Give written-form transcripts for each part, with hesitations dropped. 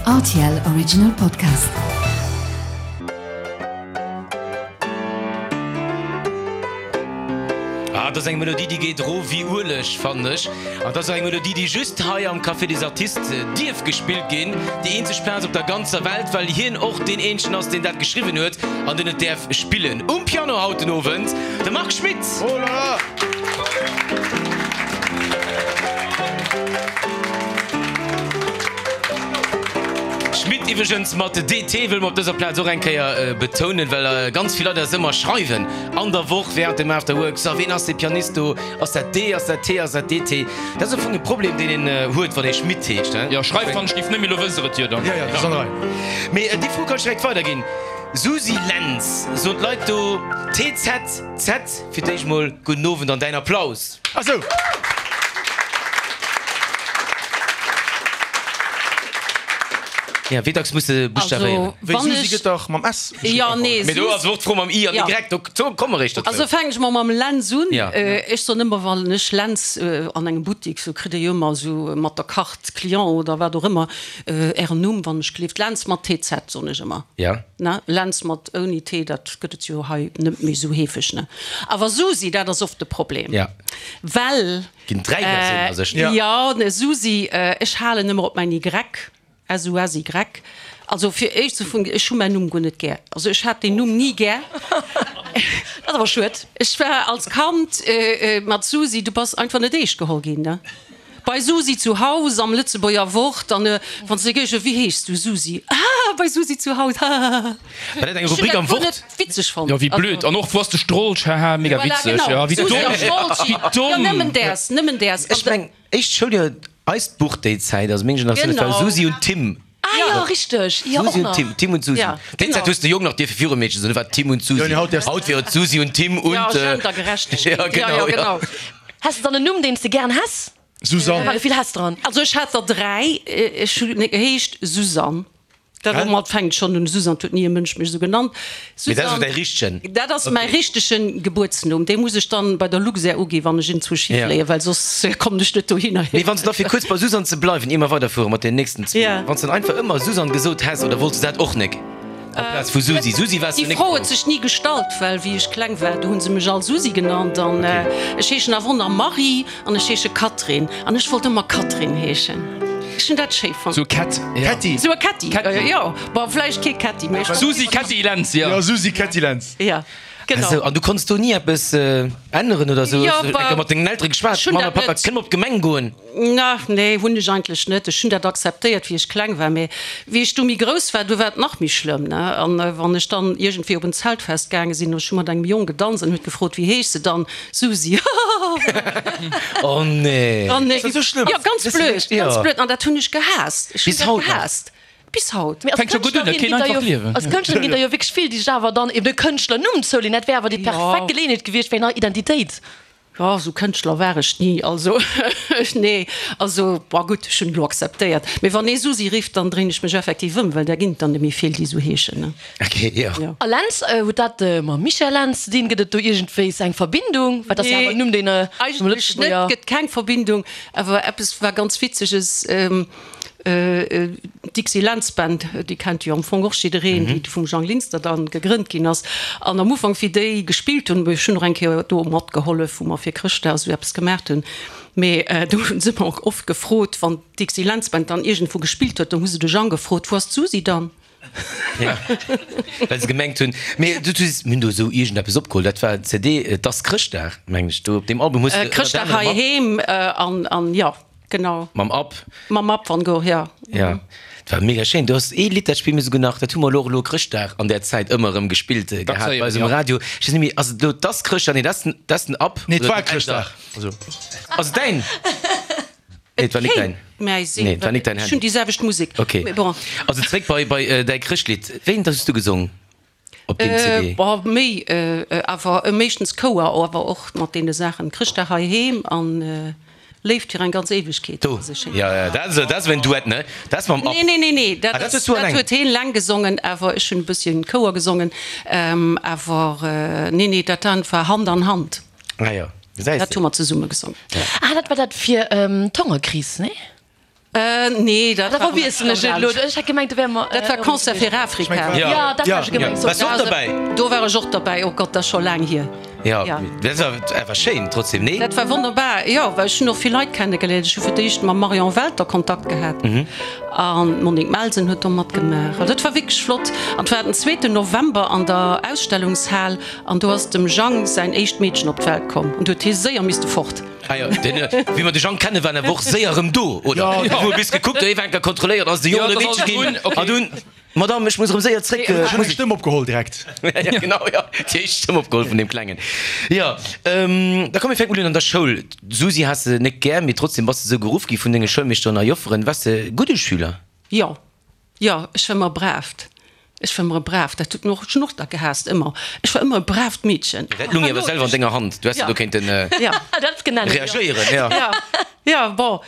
Rtl Original Podcast. Ah, dat ass eng Melodie, déi geet erof wéi Ueleg, fannen ech. An dat ass och eng Melodie, déi just hei am Café des Artistes dierf gespillt ginn. Déi eenzeg Plaz op der ganzer Welt, well hien och deen eenzegen ass, deen dat geschriwwen huet an deen et däerf spillen. Um Piano haut den Owend de Marc Schmitt. Oh là là! Schmitt iwwregens mat DT, wëlle mer op dëser Plaz och eng Kéier betounen, well ganz vill Leit eis ëmmer schreiwen an der Woch während dem After Work, So, ween ass dee Pianist do? Ass dat D, ass dat T, ass dat DT? Dat ass am Fong e Problem, deen een huet, wann ee Schmitt heescht, he? Jo, schreift wann ech géif net, mee lo wësst der et jo dann. Jo, jo, dat ass an der Rei. Mee déi Fro kann ech direkt weiderginn. Susi Lentz, soen d'Leit do TZ, Z? Fir d'éischt mol gudden Owend an däin Applaus. Ah sou. Ja, wéi dacks muss de buschtavéieren? Wéi Susi gëtt dach mam S geschriwwen. Jo, nee, Mee do ass och d'Fro mam I an Y, do komme mer eréischt dozou. Also fänken ech mol mam Lentz un. Ja. Ech soen ëmmer, wann ech Lentz an engem Buttik, sou kritt ee jo ëmmer esou mat der Carte Client oder wat och ëmmer, Ären Numm, wann ech gleeft, Lentz mat TZ, soen ech ëmmer. Ja. Ne, Lentz mat ouni T, dat gëtt et jo hei net méi esou heefeg, ne? Awer Susi, dat ass oft de Problem. Ja. Well. Ginn 3 Versiounen a sech, ne? Jo, ne, Susi, ech halen ëmmer op mäin Y, S-U-S-Y. Also fir éischt ze vun, ech hu mäin Numm guer net gär. Also ech hat deen Numm ni gär. Dat ass awer schued. Ech war als Kand mat Susi, du bass einfach net eescht geholl ginn, ne? Bei Susi zu Haus am Lëtzebuerger Wort an wann se géigen, Wéi heeschs du? Susi. Ah, bei Susi zu Haus, hahaha. War dat eng Rubrik am Wort? Witzeg fonnt. Jo, wéi blöd. An och, Wou ass de Strolch? Haha, mega witzeg. Jo, wéi domm. Wéi domm. Jo, nëmmen däers, nëmmen däers. Ech meng, éischt Schouljoer, eist Buch déi Zäit, also meng Generatioun, dat war Susi und Tim. Ah jo, richteg. Jo, och Susi und nach. Tim, Tim und Susi. Ja, Déi genau. Zäit hues de Jong nach dierfe virum Meedchen soen, do war Tim und Susi. Jo, nee, haut däerfs Haut wier et Susi und Tim und. Ja, Gendergerechtegkeet. Ja, genau, Ja, ja, genau. Häss de dann en Numm, deen s de gären häss? Susanne. War vill Häss dran. Also ech hat der 3, ech hunn geheescht Susanne. Dat domat fänkt schonn un, Susanne, huet ni e Mënsch mech esou genannt. Mee dat ass Susanne, däi richtegen? Dat ass mäi richtegen Gebuertsnumm, dee muss ech dann bei der Luxair uginn, wann ech iergendwou Schi fléien, well soss kommen ech net dohinner. Mee wann s de da fir kuerz bei Susanne ze bleiwen, ier mer weiderfuere mat den nächsten zwou, wann s de dann einfach ëmmer Susanne gesot häss, oder wollts de dat och nek? Amplaz vu Susi. Susi waars du Déi nek Fro huet grouss. sech ni gestallt, well wéi ech kleng war, do hu se mech all Susi genannt an ech heeschen awer och nach Marie an ech heesche Catherine an ech wollt ëmmer Catherine heeschen. Ech hunn dat schéi fonnt. Sou Cat, ja. Kätti. Sou e Kätti, jo. Bon, vläicht kee Kätti, mee ech wollt. Susi Kätti Lentz, jo. Jo, Susi Kätti Lentz. Ja, genau. Esou, an du konns do ni eppes änneren oder sou? Jo, Hues du eng Kéier mat dengen Eltere geschwat? Ech hunn Mama, dat Papa, net. kënne mer op d'Gemeng goen? Na, nee, hunn ech eigentlech net. Ech hunn dat akzeptéiert, wéi ech kleng war. Mee wéi ech du méi grouss war, du war et nach méi schlëmm, ne? An wann ech dann iergendwéi op en Zeltfest gaange sinn, ech hu mat engem Jong gedanzt an huet gefrot, Wéi heeschs de dann? Susi. Oh nee! Oh nee! Ass dat esou schlëmm? Jo, ganz blöd, ganz blöd. An dat hunn ech gehaasst. Ech hunn Bis dat haut nach? gehaasst. Bis haut. Mee als Fänkt scho gutt un, dat Kënschtlerin keen ginn der einfach jo, Liewen. als Kënschtlerin ginn der jo wierklech vill, déi sech awer dann eben e Kënschtlernumm zouleeën. Dat wär awer déi perfekt Geleeënheet gewiescht fir eng nei Identitéit. Jo, esou Kënschtler war ech ni, also nee, also bon gutt, ech hunn et elo akzeptéiert. Mee wann ee Susi rifft, dann dréin ech mech effektiv ëm, well där ginn et dann net méi vill, déi esou heeschen, ne. Ok, jo. Jo. A Lentz, huet dat mam Michel Lentz ze dinn? Gëtt et do iergendwéis eng Verbindung? Well dat ass jo awer en Numm, deen am Eigentlech net, Lëtzebuerger. gëtt keng Verbindung. Awer eppes war ganz Witzeges, D'Dixie Lentz Band, déi kennt jo am Fong och jiddereen, déi vum Jang Linster dann gegrënnt ginn ass. An am Ufank, wéi déi gespillt hunn, ech hunn och eng Kéier do matgehollef, wou mer fir Chrëschtdag esou eppes gemaacht hunn, mee do hu se mer och oft gefrot, wann d'Dixie Lentz Band dann iergendwou gespillt huet, do hu se de Jang gefrot, Wou ass d'Susi dann? Ja, well se gemengt hunn, mee du, du, mir hunn do esou iergendeppes opgeholl, dat war d'CD Et ass Chrëschtdag, mengen ech, do op deem Album hues de ënnert Chrëschtdag anerem mat. heiheem an, an jo. Genau. Mam App. Mam App van Gogh, ja. Ja, dat war mega schéin. Du has ee Lidd, dat spille mir souguer nach, dat hu mer elo och elo Chrëschtdag an där Zäit ëmmer erëm gespillt gehat bei eis um Radio. Ech weess net méi, ass et elo 't ass Chrëschtdag? Nee, dat ass den, dat ass den App. Nee, 't war Chrëschtdag. Also. Ass et däin? Nee, 't war nik däin. Mäi sinn, Nee, 't war nik däin ech Handy. hunn déi selwecht Musek. Okay. Mee bon. Also zréck bei, bei däi Chrëschtlidd. Wéi eent hues du gesong? Op deem CD? Boah, méi, awer meeschtens Chouer, awer och mat deene Saachen Chrëschtdag heiheem an Léift fir eng ganz Éiwegkeet. Do, jo, jo, dat ass, dat ass en Duett, ne? Dat ass mam Ab. Nee, nee, nee, nee, dat Ah, dat ass, hues du dat alleng. huet heen leng gesongen, awer ech hunn e bësschen Chouer gesongen, awer nee, nee, dat war Hand an Hand. Ah jo, gesäis Dat de. hu mer zesumme gesongen. Ah, dat war dat fir d'Hongerkris, nee? Nee, dat Da war verwiesselen ech et elo. Ech hat gemengt, do wäre mer. Dat war Concert fir Afrika. Jo, dat hat ech gemengt. Waars du och derbäi? Do war ech och derbäi. Oh Gott, dat ass scho laang hier. Jo, dat war awer schéin trotzdem, nee? Dat war wonnerbar, jo, well ech hunn och vill Leit kennegeléiert. Ech hu fir d'éischt mam Marion Welter Kontakt gehat an d'Monique Melsen huet do matgemaach. Also dat war wierklech flott. An et war den zweeten November an der Ausstellungshal an do ass dem Jang säin éischt Meedchen op d'Welt komm an du huet hie séier misste fort. Ah jo, den, wéi mer de Jang kennen, war en awer och séier erëm do, oder? Jo. Wou e bis gekuckt huet, Evenker kontrolléiert, ass de Jong oder Meedche ginn, an dunn, Madame, ech muss erëm séier zréck. Ech hunn eng Stëmm opgeholl direkt. Ja, genau, jo, déi éischt Stëmm opgeholl vun deem Klengen. Jo, da komm, mir fänken mol un an der Schoul. D'Susi has de net gär, mee trotzdem bass de sou geruff gi vun denge Schoulmeeschteren a Jofferen. Waars de gudde Schüler? Jo, Jo, ech war ëmmer e braavt. Ech war ëmmer e braavt. Dat huet mech och, ech hunn och da gehaasst, ëmmer. Ech war ëmmer e braavt Meedchen. Dat lung awer selwer an denger Hand. Du häss jo do kéinten reagéieren, jo. Jo, jo, bon,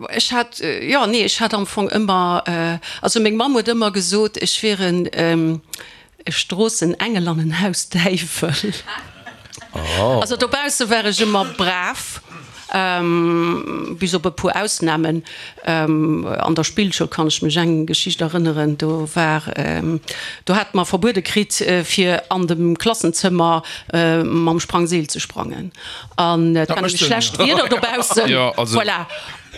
ech hat, jo, nee, ech hat am Fong ëmmer, also meng Mamm huet ëmmer gesot, ech wier en, E Stroossenengel an en Hausdäiwel. Also dobausse war ech ëmmer brav, bis op e puer Ausnamen. An der Spillschoul kann ech mech eng Geschicht erënneren, do war, do hate mer verbuede kritt, fir an dem Klassenzëmmer mam Sprangseel ze sprangen. An et war nämlech schlecht Wieder dobaussen. Voilà.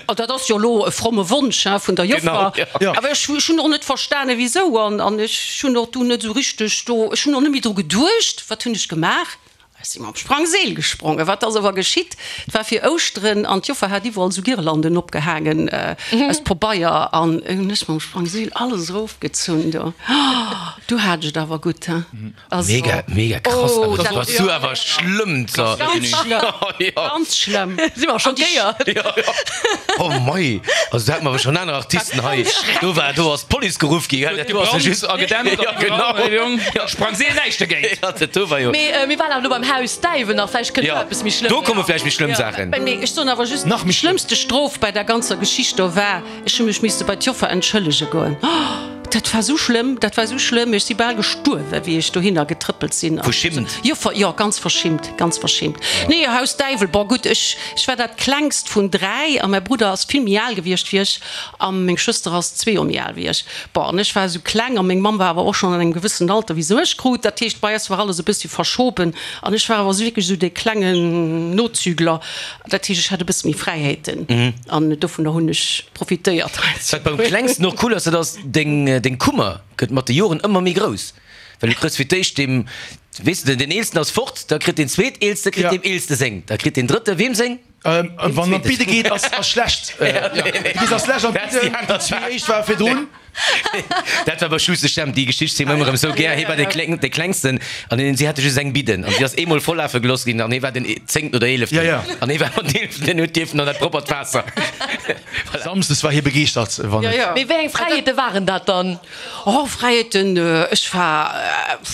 An dat ass jo elo e fromme Wonsch, hein, vun der Joffer. Awer ech hunn och net verstane wisou. An ech hunn och du net esou richteg do, ech hunn och net méi dru geduecht. Wat hunn ech gemaach? Ech si mam Sprangseel gesprongen. Wat ass awer geschitt? Et war fir Ouschteren an d'Joffer hat iwwerall esou Girlanden opgehaangen aus Pabeier. An hunn ech mam Sprangseel alles erofgezunn do. Du hat ech et awer gutt, hein. Also, mega, mega krass. Oh, dat war du awer schlëmm. Ganz schlëmm. Ganz schlëmm. Si war schockéiert. Ja, ja. Oh mei, also do hate mer awer schon aner Artisten hei. Do war, do ass d'Police geruff gi, gell? Dat do ass just a gedämpt. Ja, genau. Ja. Sprang see näischt dogéint. Ja, dat do war jo. Mee mir waren awer elo beim Haus Däiwel nach, vläicht kënnt do eppes méi schlëmm. Do komme vläicht méi schlëmm Saachen. Mee ech soen awer just, déi schlëmmste Strof bei der ganzer Geschicht do war, Ech hu mech misste bei d'Joffer entschëllege goen. Oh, dat war sou schlëmm, dat war sou schlëmm. Ech si bal gestuerwen, wéi ech dohinner getrëppelt sinn. Verschimmt? Joffer, jo, ganz verschimmt, ganz verschimmt. Nee, Haus Däiwel, bon, gutt, ech, ech war dat klengst vun 3 a mäi Brudder ass vill méi al gewiescht wéi ech a meng Schwëster ass zwee Joer méi al wéi ech. Bon, an ech war esou kleng a meng Mamm war awer och schonn an engem gewëssenen Alter, wéi se mech krut. Dat heescht, bei eis war alles e bëssi verschoben an ech war awer esou wierklech esou dee klengen Nozügler. Dat heescht, ech hat e bësse méi Fräiheeten an dovunner hunn ech profitéiert. Wat beim Klengsten och cool ass, dat ass, deng Kummer gëtt mat de Joren ëmmer méi grouss. Well du kriss fir d'éischt deem, weess de, den Eelsten ass fort, da kritt deen Zweeteelste kritt deem Eelste seng, da kritt deen Drëtte weem seng? Wann an d'Bidde geet, ass schlecht. Du gees als Lescht an d'Bidden, déi zwee éischt ware virdrun. Dat war bei Schuster Stemmt, déi Geschicht zielen mer ëmmer erëm esou gär. Hie war dee Kleng, dee Klengsten an hien, si hate just eng Bidden an si ass eemol vollafe gelooss ginn an hie war den zéngten oder eeleften. Ja, ja. An hie war ëmmer den eeleften, deen huet dierfen an dat proppert Waasser. Voilà. Samsdes war hie begeeschtert, wann et. Ja, ja. Mee wéi eng Fräiheete waren dat dann? Oh, Fräiheeten, ech war,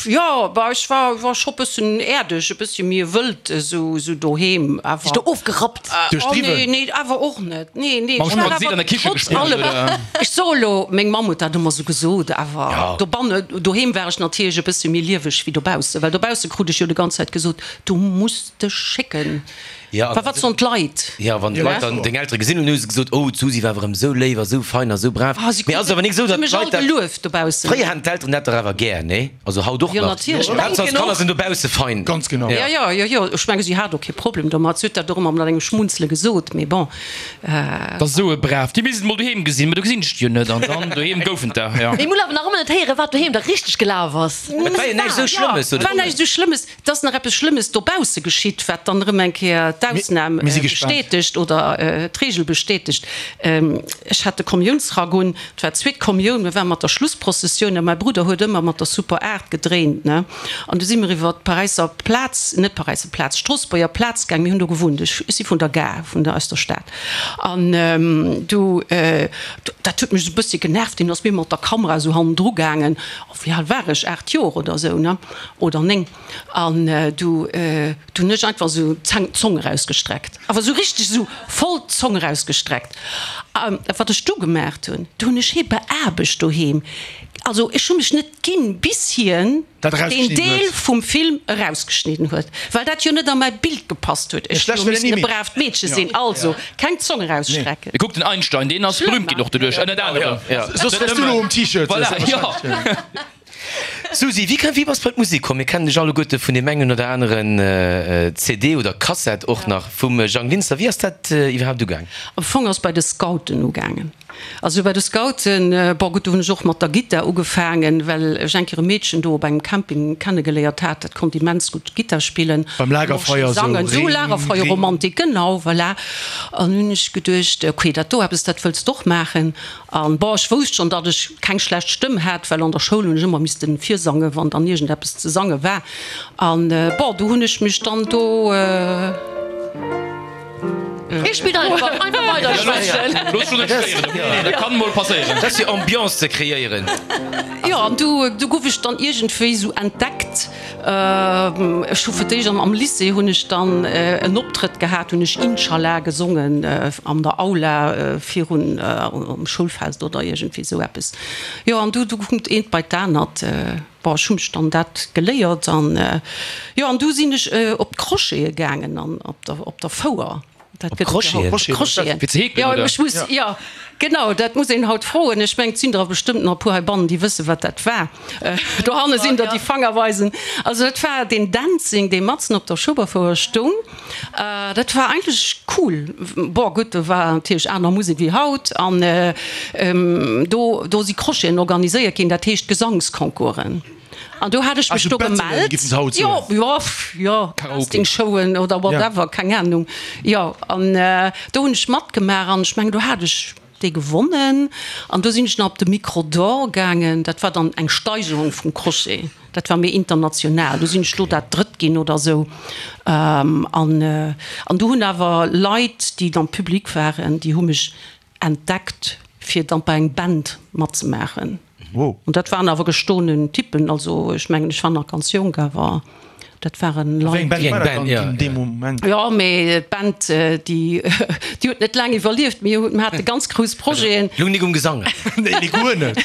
jo, bah, ech war, war scho bëssen äerdeg, e bëssche méi wëld esou, esou doheem, awer. Dech do ofgerappt? Duerch Oh, d'Riwwen? nee, nee, awer och net, nee, nee. Mam Ech war Spanseet awer an der Kiche trotz gespillt, allem, oder? ech soe lo, meng Mamm huet dat ëmmer esou gesot, awer Ja. dobanne, doheem war ech natierlech e bësse méi lieweg wéi dobaussen, well dobausse krut ech jo de ganz Zäit gesot, du muss dech schécken. Ja, Wa wat soen d'Leit? Ja, wann d'Leit dann deng Eltere gesinn hunn, hu se gesot, oh, d'Susi war awer erëm esou léif a esou fein a esou brav. Ah, si Mee ass awer nik esou, si datt mech all d'Leit dat. gelueft dobaussen. Fréier haten d'Elteren dat dach awer gär, nee? Also haut och Jo, nach. natierlech. Haaptsaach d'Kanner sinn dobausse fein. Ganz genau. Ja, ja, jo, jo, ech menge si hat och kee Problem domat. Si huet dat och ëmmer mat engem Schmunzele gesot, mee bon. Dat ass esou e brav. Déi misst et mol doheem gesinn, mee do gesinn ech déi jo net. An dann doheem goufen der, jo. Mee mir wëll awer nach ëmmer net héieren, wat doheem da richteg gelaf ass. Et war jo näischt esou Schlëmmes, Et war näischt esou Schlëmmes. Et ass nach eppes Schlëmmes dobausse geschitt, wat dann erëm eng Kéier d'Ausnam bestätegt oder d'Regel bestätegt. Ech hat de Kommiounsrack un, et war d'zweet Kommioun, mir ware mat der Schlussprozessioun a mäi Brudder huet ëmmer mat der Super 8 gedréint, ne. An du si mir iwwer d'Paräisser Plaz, net d'Paräisser Plaz, d'Stroossbuerger Plaz gaang, mir hunn do gewunnt, ech si vun der Gare, vun der, aus der Stad. An du, dat huet mech esou e bëssi genervt, deen ass mir mat der Kamera esou hannendru gaangen. Wéi al war ech? 8 Joer oder esou, ne? Oder 9. An du, du hunn ech einfach esou d'Zong, d'Zong eraus. erausgestreckt. Awer esou richteg esou voll d'Zong erausgestreckt. A wat ech du gemaacht hunn, du hunn ech hie beaarbecht doheem. Also ech hu mech net ginn, bis hien Dat deen erausgeschnidden Deel huet. vum Film erausgeschnidden huet, well dat jo net a mäi Bild gepasst huet. Ech Schlecht hu wär dat missen ni e méi. braavt Meedche sinn, also keng Zong erausstrecken. Kuck den Einstein, deen ass berühmt ginn och doduerch, ënnert anerem. Soss wäers du elo um T-Shirt. Voilà, jo. Susi, wéi wéi bass bei d'Musek komm? Mir kennen dech alleguerte vun deem engen oder aneren CD oder Kassett och nach vum Jang Linster. Wéi ass dat iwwerhaapt ugaang? Am Fong ass bei de Scouten ugaangen. Also bei de Scouten, bon gutt, do hunn ech och mat der Gittar ugefaangen, well ech eng Kéier e Meedchen do op engem Camping kennegeléiert hat, dat konnt immens gutt Gittar spillen. Beim Lagerfeuer esou, Sangen, esou Ring, Lagerfeuerromantik, genau, voilà. An hunn ech geduecht, okay, dat do eppes, dat wëlls d'och maachen. An bon, ech wousst schonn, datt ech keng schlecht Stëmm hat, well an der Schoul hunn ech ëmmer missten virsangen, wann dann iergendeppes ze sange war. An bon, du hunn ech mech dann do. Hie spillt einfach, einfach weider schwätzen. Looss dech net stéieren, okay? Dat kann mol passéieren. Dat ass fir Ambiance ze kreéieren. Jo, an du, du gouf ech dann iergendwéi sou entdeckt. Ech hu fir d'éischt am Lycée hunn ech dann en Optrëtt gehat, hunn ech Inshallah gesongen an der Aula virun um Schoulfest oder iergendwéi esou eppes. Jo an du du kunnt eent bei d'anert. Bon ech hu mech dann dat geléiert an jo an du sinn ech op d'Crochete gaangen an op der op der Fouer. Dat Op gëtt et jo haut. Crocheten? Crocheten. Fir ze heekelen, Jo oder? ech muss jo genau dat muss een haut froen. Ech mengen et sinn der bestëmmt nach e puer heibannen déi wësse wat dat war. Dohanne sinn der déi Fanger weisen. Also dat war deen Dancing, dee matzen op der Schueberfouer stoung. Dat war eigentlech cool. Bon, gutt, do war natierlech aner Musek wéi haut. An do, do si Crocheten organiséiert ginn, dat heescht Gesangsconcoursen. An do hat ech mech Also do Battlen, gemellt. géif een se haut Jo, soen. jo, jo, Karaoke. Castingshowen oder whatever, keng Ahnung. Jo, an do hunn ech matgemaach an ech mengen, do hat ech Déi gewonnen an do sinn ech nach op de Micro d'Or gaangen. Dat war dann eng Steigerung vum Crochet, dat war méi international. Do sinn ech do dat Drëtt ginn oder esou. An an do hunn awer Leit, déi am Public waren, déi hu mech entdeckt, fir dann bei eng Band matzemaachen. An dat waren awer gestoenen Typen, also ech mengen, ech war nach ganz jonk, awer. Dat waren Wéi eng Leit. Band Wéi eng war dat Band, dann ja, deen ja. Moment? Jo, mee d'Band, déi, déi huet net laang iwwerlieft. Mir hunn, mir hate ganz grouss Projeten. Lung nik um Gesang. Nee, nee, guer net.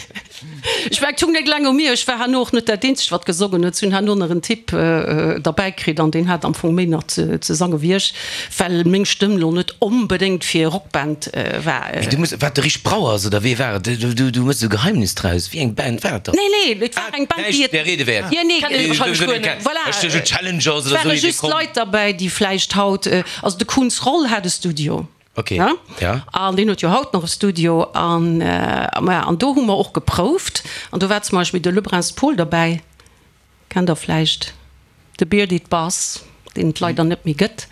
Ech war, et hung net laang u mir. Ech war herno och net dat Eenzegt, wat gesongen huet. Si hunn herno nach en Typ derbäi kritt an deen hat am Fong méi nach ze sange wéi ech, well meng Stëmm lo net onbedéngt fir Rockband war. Mee du muss, war et de Rich Brauers oder wee war et? Du, du, du méchs esou Geheimnis draus. Wéi eng Band war et dann? Nee, nee, et war eng Band, déi Näischt et. der Rede wäert. Jo, nee, Kennt ee wahrscheinlech guer net. Voilà. Ech duecht Challengers Et oder ware esou, just Leit derbäi, déi vläicht haut, also de Kunz Roll hat e Studio. Ok, ne? ja. An deen huet jo haut nach e Studio. An, maja, an do hu mer och geprouft. An do war zum Beispill de Lebrun Paul derbäi. Kennt der vläicht, de Bearded Bass, deen et leider net méi gëtt,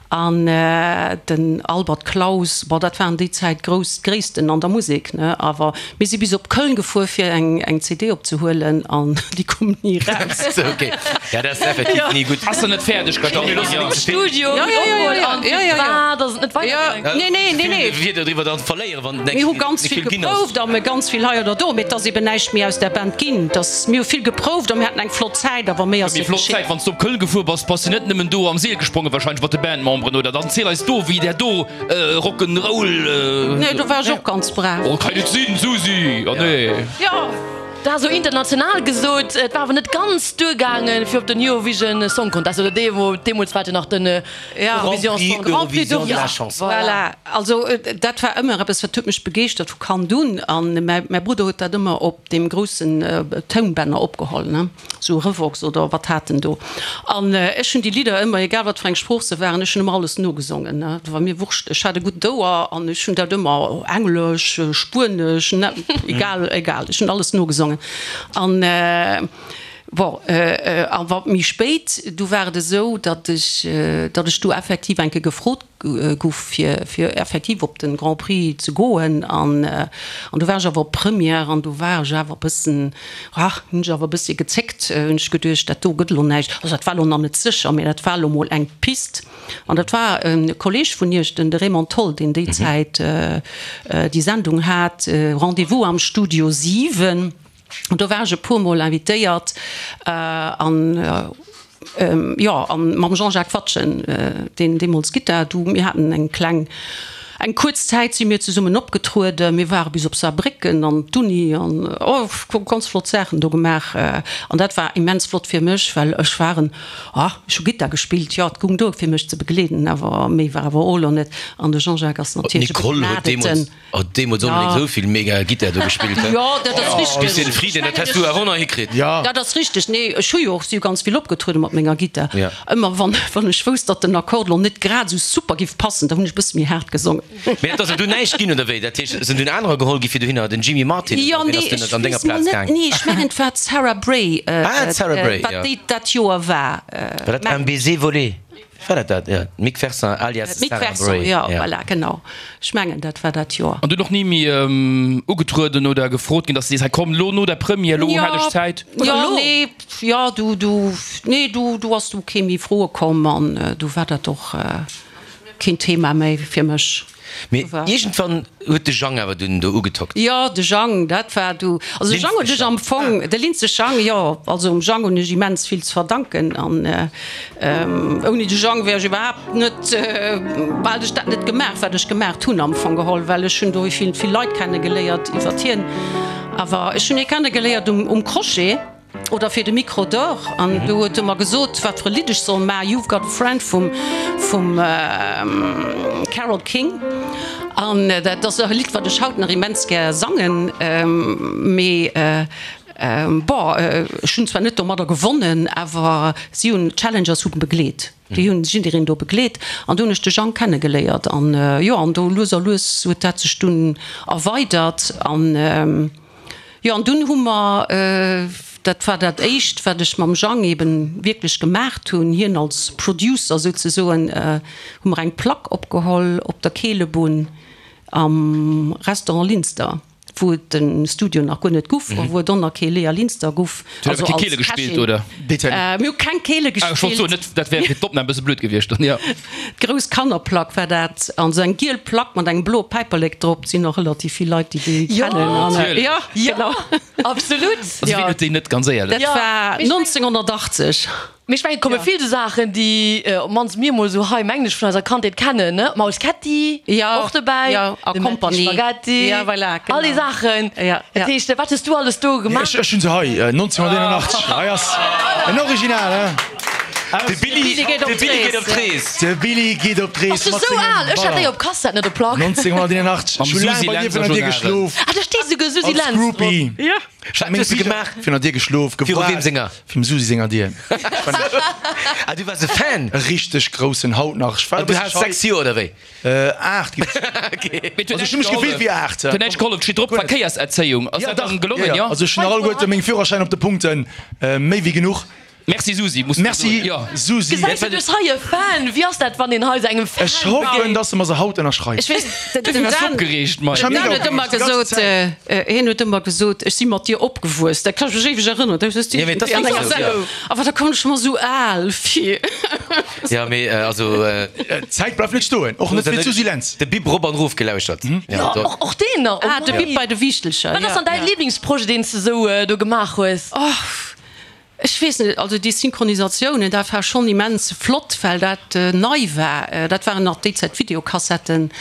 an den Albert Claus. Bon, dat waren déi Zäit grouss Gréissten an der Musek, ne? Awer mir si bis op Köln gefuer, fir eng eng CD opzehuelen, an déi koum ni eraus. Ok, ja, dat ass effektiv ni gutt. Ass se net fäerdeg ginn? Am Studio, Ja, ja, ja, ja, an ja, ja, ja. firwat ass et net weidergaangen? Nee, nee, nee, nee. Wierder driwwer dann verléieren, wann Mir hu ganz vill geprouft a mir ganz vill hei oder do, mee et ass eben näischt méi aus där Band ginn. Dass mir hu vill geprouft a mir haten eng flott Zäit, awer méi ass Méi net flott geschitt. Zäit, wann s du op Köln gefuer bass, bass du net nëmmen do am Seel gesprongen wahrscheinlech mat de Bandmemberen, oder? Dann ziel eis do, wéi där do Rock'n'Roll. Nee, do war ech och ganz brav. Oh, kann net sinn, Susi! Oh nee. Jo. Dat ass esou international gesot, et war awer net ganz duergaangen, fir op den Eurovision Song Contest, oder deemools war et jo nach den Eurovision Song Grand Prix de la Chanson. Voilà, also dat war ëmmer eppes, wat huet mech begeeschtert vu Kand un. An mäi Brudder huet dat ëmmer op deem groussen Tounbänner opgeholl, ne, sou Revox oder wat hat en do. An ech hunn déi Lidder ëmmer, egal wat fir eng Sprooch se waren, ech hunn ëmmer alles nogesongen, ne. Dat war mir wurscht, ech hat e gutt Ouer an ech hunn dat ëmmer, Englesch, Spuenesch, ne, egal, egal, ech hunn alles nogesongen. An. Bon, awer méi spéit, du war et esou, datt ech, datt ech du effektiv eng Kéier gefrot gouf, fir, fir effektiv op de Grand Prix ze goen. An, an du war ech awer op Première an du war ech awer e bëssen, ah, hunn ech awer e bëssi gezéckt, hunn ech geduecht, dat do gëtt elo näischt. Also dat war elo nach net sécher, mä dat war elo mol eng Pist. An dat war e Kolleeg vun Iech, den de Raymond Tholl, deen déi Zäit déi Sendung hat, Rendez-vous am Studio 7. An do war ech e puer Mol invitéiert an. Jo, a mam Jean-Jacques Watschen, deen deemools Gittar, du, mir haten eng kleng, eng kuerz Zäit si mir zesummen opgetrueden. Mir ware bis op Saarbrécken an d'Uni an, oh, ganz flott Saachen do gemaach. An dat war immens flott fir mech, well ech war en, ah, ech hu Gittar gespillt, jo, et goung duer fir mech ze begleeden, awer méi war awer och elo net. An de Jean-Jacques ass natierlech e begnadeten. Oh, deemols onbedéngt esou vill mega Gittar do gespillt, he? Jo, dat ass richteg. Lucien Frieden, dat häss du awer och nach hikritt. Jo. Dat ass richteg. Nee, ech hu jo och, si hu ganz vill opgetrueden mat menger Gittar. Ja. Ëmmer wann, wann ech wousst, datt den Akkord lo net grad esou super giff passen, da hunn ech e bësse méi haart gesongen. Mee et ass jo dunn näischt ginn, oder wéi? Dat heescht, et sinn dunn anerer geholl gi fir dohinner, den Jimmy Martin, Jo, oder wien nee, ass dunn ech an denger weess mol Plaz net, gaang? nee, ech mengen et war d'Sarah Bray, Ah, d'Sarah Bray, wat jo. déi dat Joer war. War dat Un baiser volé? War dat dat? Jo, d'Mick Ferson alias D'Mick Sarah Ferson, Bray. jo, voilà, genau. Ech mengen, dat war dat Joer. An dunn och ni méi ugetrueden oder gefrot ginn, dass de sees, hei komm, lo no der Première, lo hätt ech Zäit? Jo, nee, jo, du, du, nee, du, du ass du kee méi froe komm an du war dat och keen Thema méi fir mech. Mee iergendwann huet de Jang awer dunn do ugetockt. Jo, de Jang, dat war du. Also de Jang huet ech am Fong, de Linse Jang, jo, also dem Jang hunn ech immens vill ze verdanken an ouni de Jang wär ech iwwerhaapt net, hätt ech dat net gemaach, wat ech gemaacht hunn am Fong geholl, well ech hunn do vill, vill Leit kenne geléiert iwwert hien. Awer ech hunn hie kenne geléiert um Crochet. Oder fir de Micro d'Or an do huet e mer gesot, wat fir e Lidd ech soll maachen, You've Got a Friend vum vum Carole King. An dat ass och e Lidd, wat ech haut nach immens gär sangen. Mee bon, ech hunn zwar net domadder gewonnen, awer si hunn, d'Challengers hu begleet, déi hunn jiddereen do begleet an do hunn ech de Jang kennegeléiert an jo, an do lues a lues huet dat sech dunn erweidert an. Jo, an dunn hu mer, dat war dat éischt, wat ech mam Jang eben wierklech gemaacht hunn, hien als Producer souzesoen, hu mer eng Plack opgeholl op der Keelebunn am Restaurant Linster, wou et de Studio nach guer net guff a wou et och nach kee Léa Linster guff. Hutt Der keng Keele gespillt, oder? Mir hu keng Keele Ah, ech wollt soen, gespillt. net, dat wär fir d'Opnam e bësse blöd gewiescht dann, jo. D'grouss Kannerplack war dat, an esou eng giel Plack mat engem bloe Päiperlek drop. Et sinn och relativ vill Leit, déi déi kennen. An, Natierlech. jo, genau. Absolut. Also wien huet déi net, ganz éierlech? Dat war 1980. Mee ech mengen, et komme vill esou Saachen, déi op d'mannst mir emol esou hei, mengen ech, vun eiser Kandheet kennen, ne? D'Maus Ketti och dobäi, a de Mätti Compagnie. Spaghetti, Ja, voilà, genau. all déi Saachen. Ja, Dat ja. heescht, wat hues du alles do gemaach? Ech hunn se hei, 1981. Hei ass en Original, hein? De Billy geet op d'Rees. De Billy geet op d'Rees. Bass du sou al? Ech hat déi op Kassett, net op Plack. 1981. Ech hu laang bei dir virun der Dier geschlof. Ah, do steet souguer Susi Als Lentz drop. Groupie. Ja. Ech hat meng Bicher virun der Dier geschlof. Viru weem senger? Vum Susi senger Dier. Ah, du waars e Fan? E richteg groussen, haut nach. Ech war e Du bësse haas schei. 6 Joer, oder wéi? 8 ginn ech. Also ech hu mech gefillt wéi 8. Huet näischt gehollef, steet drop Verkéierserzéiung. Ass dat dann gelongen, jo? Also ech hunn nach alleguerte meng Führerschäin op de Punkten, méi wéi genuch. Merci Susi, muss man Merci soen, jo. Susi. Gesäis du, du hues hei e Fan. Wéi ass dat, wann een hei sou engem Fan Ech hoffen, begéint? dass se mer se haut ënnerschreift. Ech weess, den Du waars Dan, opgereegt, Mike. Ech war den Dan mega huet ëmmer opgereegt, déi ganz gesot, Zäit. hien huet ëmmer gesot, ech si mat dir opgewuess. Dat kann ech mech éiweg erënneren. Dat hues du Ja, mee dat ass an enger wierklech esou, Sendung. Awer da koum ech mer esou al vir. Ja, mee also. D'Zäit bleift net stoen, och net fir d'Susi Lentz. De Bip rop an erof gelauschert. Jo, och, och deen nach. Oh Ah, de mei. Bip bei de Wiichtelcher, Wat ass ja. dann däi Liblingsprojet, deen s de sou do gemaach hues? Oh. Ech weess net, also déi Synchronisatiounen, dat war schonn immens flott, well dat nei war. Dat waren nach déi Zäit Videokassetten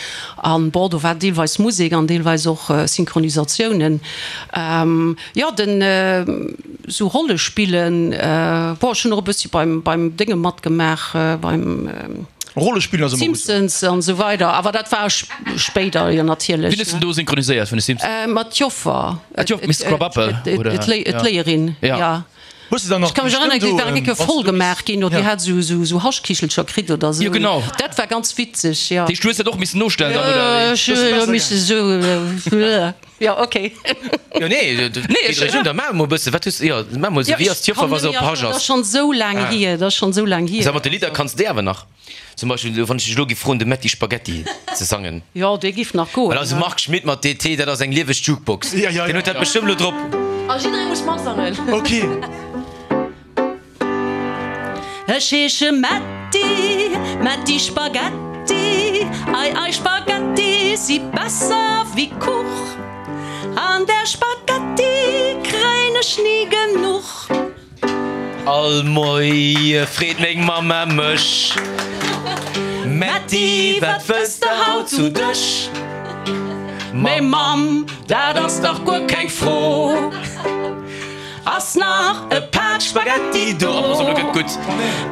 an, bon, do war deelweis Musek an deelweis och Synchronisatiounen. Jo, den esou Rollespillen, bon, ech hunn och e bëssi beim, beim Dénge matgemaach, beim Rollespillen ass ëmmer gutt. Simpsons an esou weider, awer dat war spéider jo natierlech. Wien hues de do synchroniséiert vun de Simpsons? Mat d'Joffer. Ah, d'Joffer, Miss Krabappel, oder? D'Léierin, ja. Hues de dann nach Ech ka mech erënneren, déi war eng Kéier voll gemaach ginn, oder déi hat esou Haschkichelcher kritt oder esou. Jo, genau. Dat war ganz witzeg, jo. Dat heescht, du hues dat och missen nostellen dann, oder wéi? Ech hu misse esou, jo, okay. Jo, nee, nee, ech hunn da maach emol e bësse, wat hues, jo, maach emol esou, wéi ass d'Joffer, wa se op Hasch ass? Dat ass schonn esou laang hier, dat ass schonn esou laang hier. Sag, mat de Lidder kanns de awer nach. Zum Beispill, wann ech dech elo giff froen, de Metti Spaghetti ze sangen. Jo, dee giff nach goen. Well eise Marc Schmitt mat DT, dat ass eng lieweg Jukebox. Deen huet dat bestëmmt elo drop. A jidderee muss matsangen. Ok. Ech heesche Metti, Metti Spaghetti, ei ei Spaghetti si besser wéi Kuch, an der Spaghetti kréien ech ni genuch. All Moie freet meng Mamma mech, Metty, wat wëlls de haut zu Dësch? Mee Mamm, dat ass dach guer keng Fro, ass nach e Pak Spaghetti do?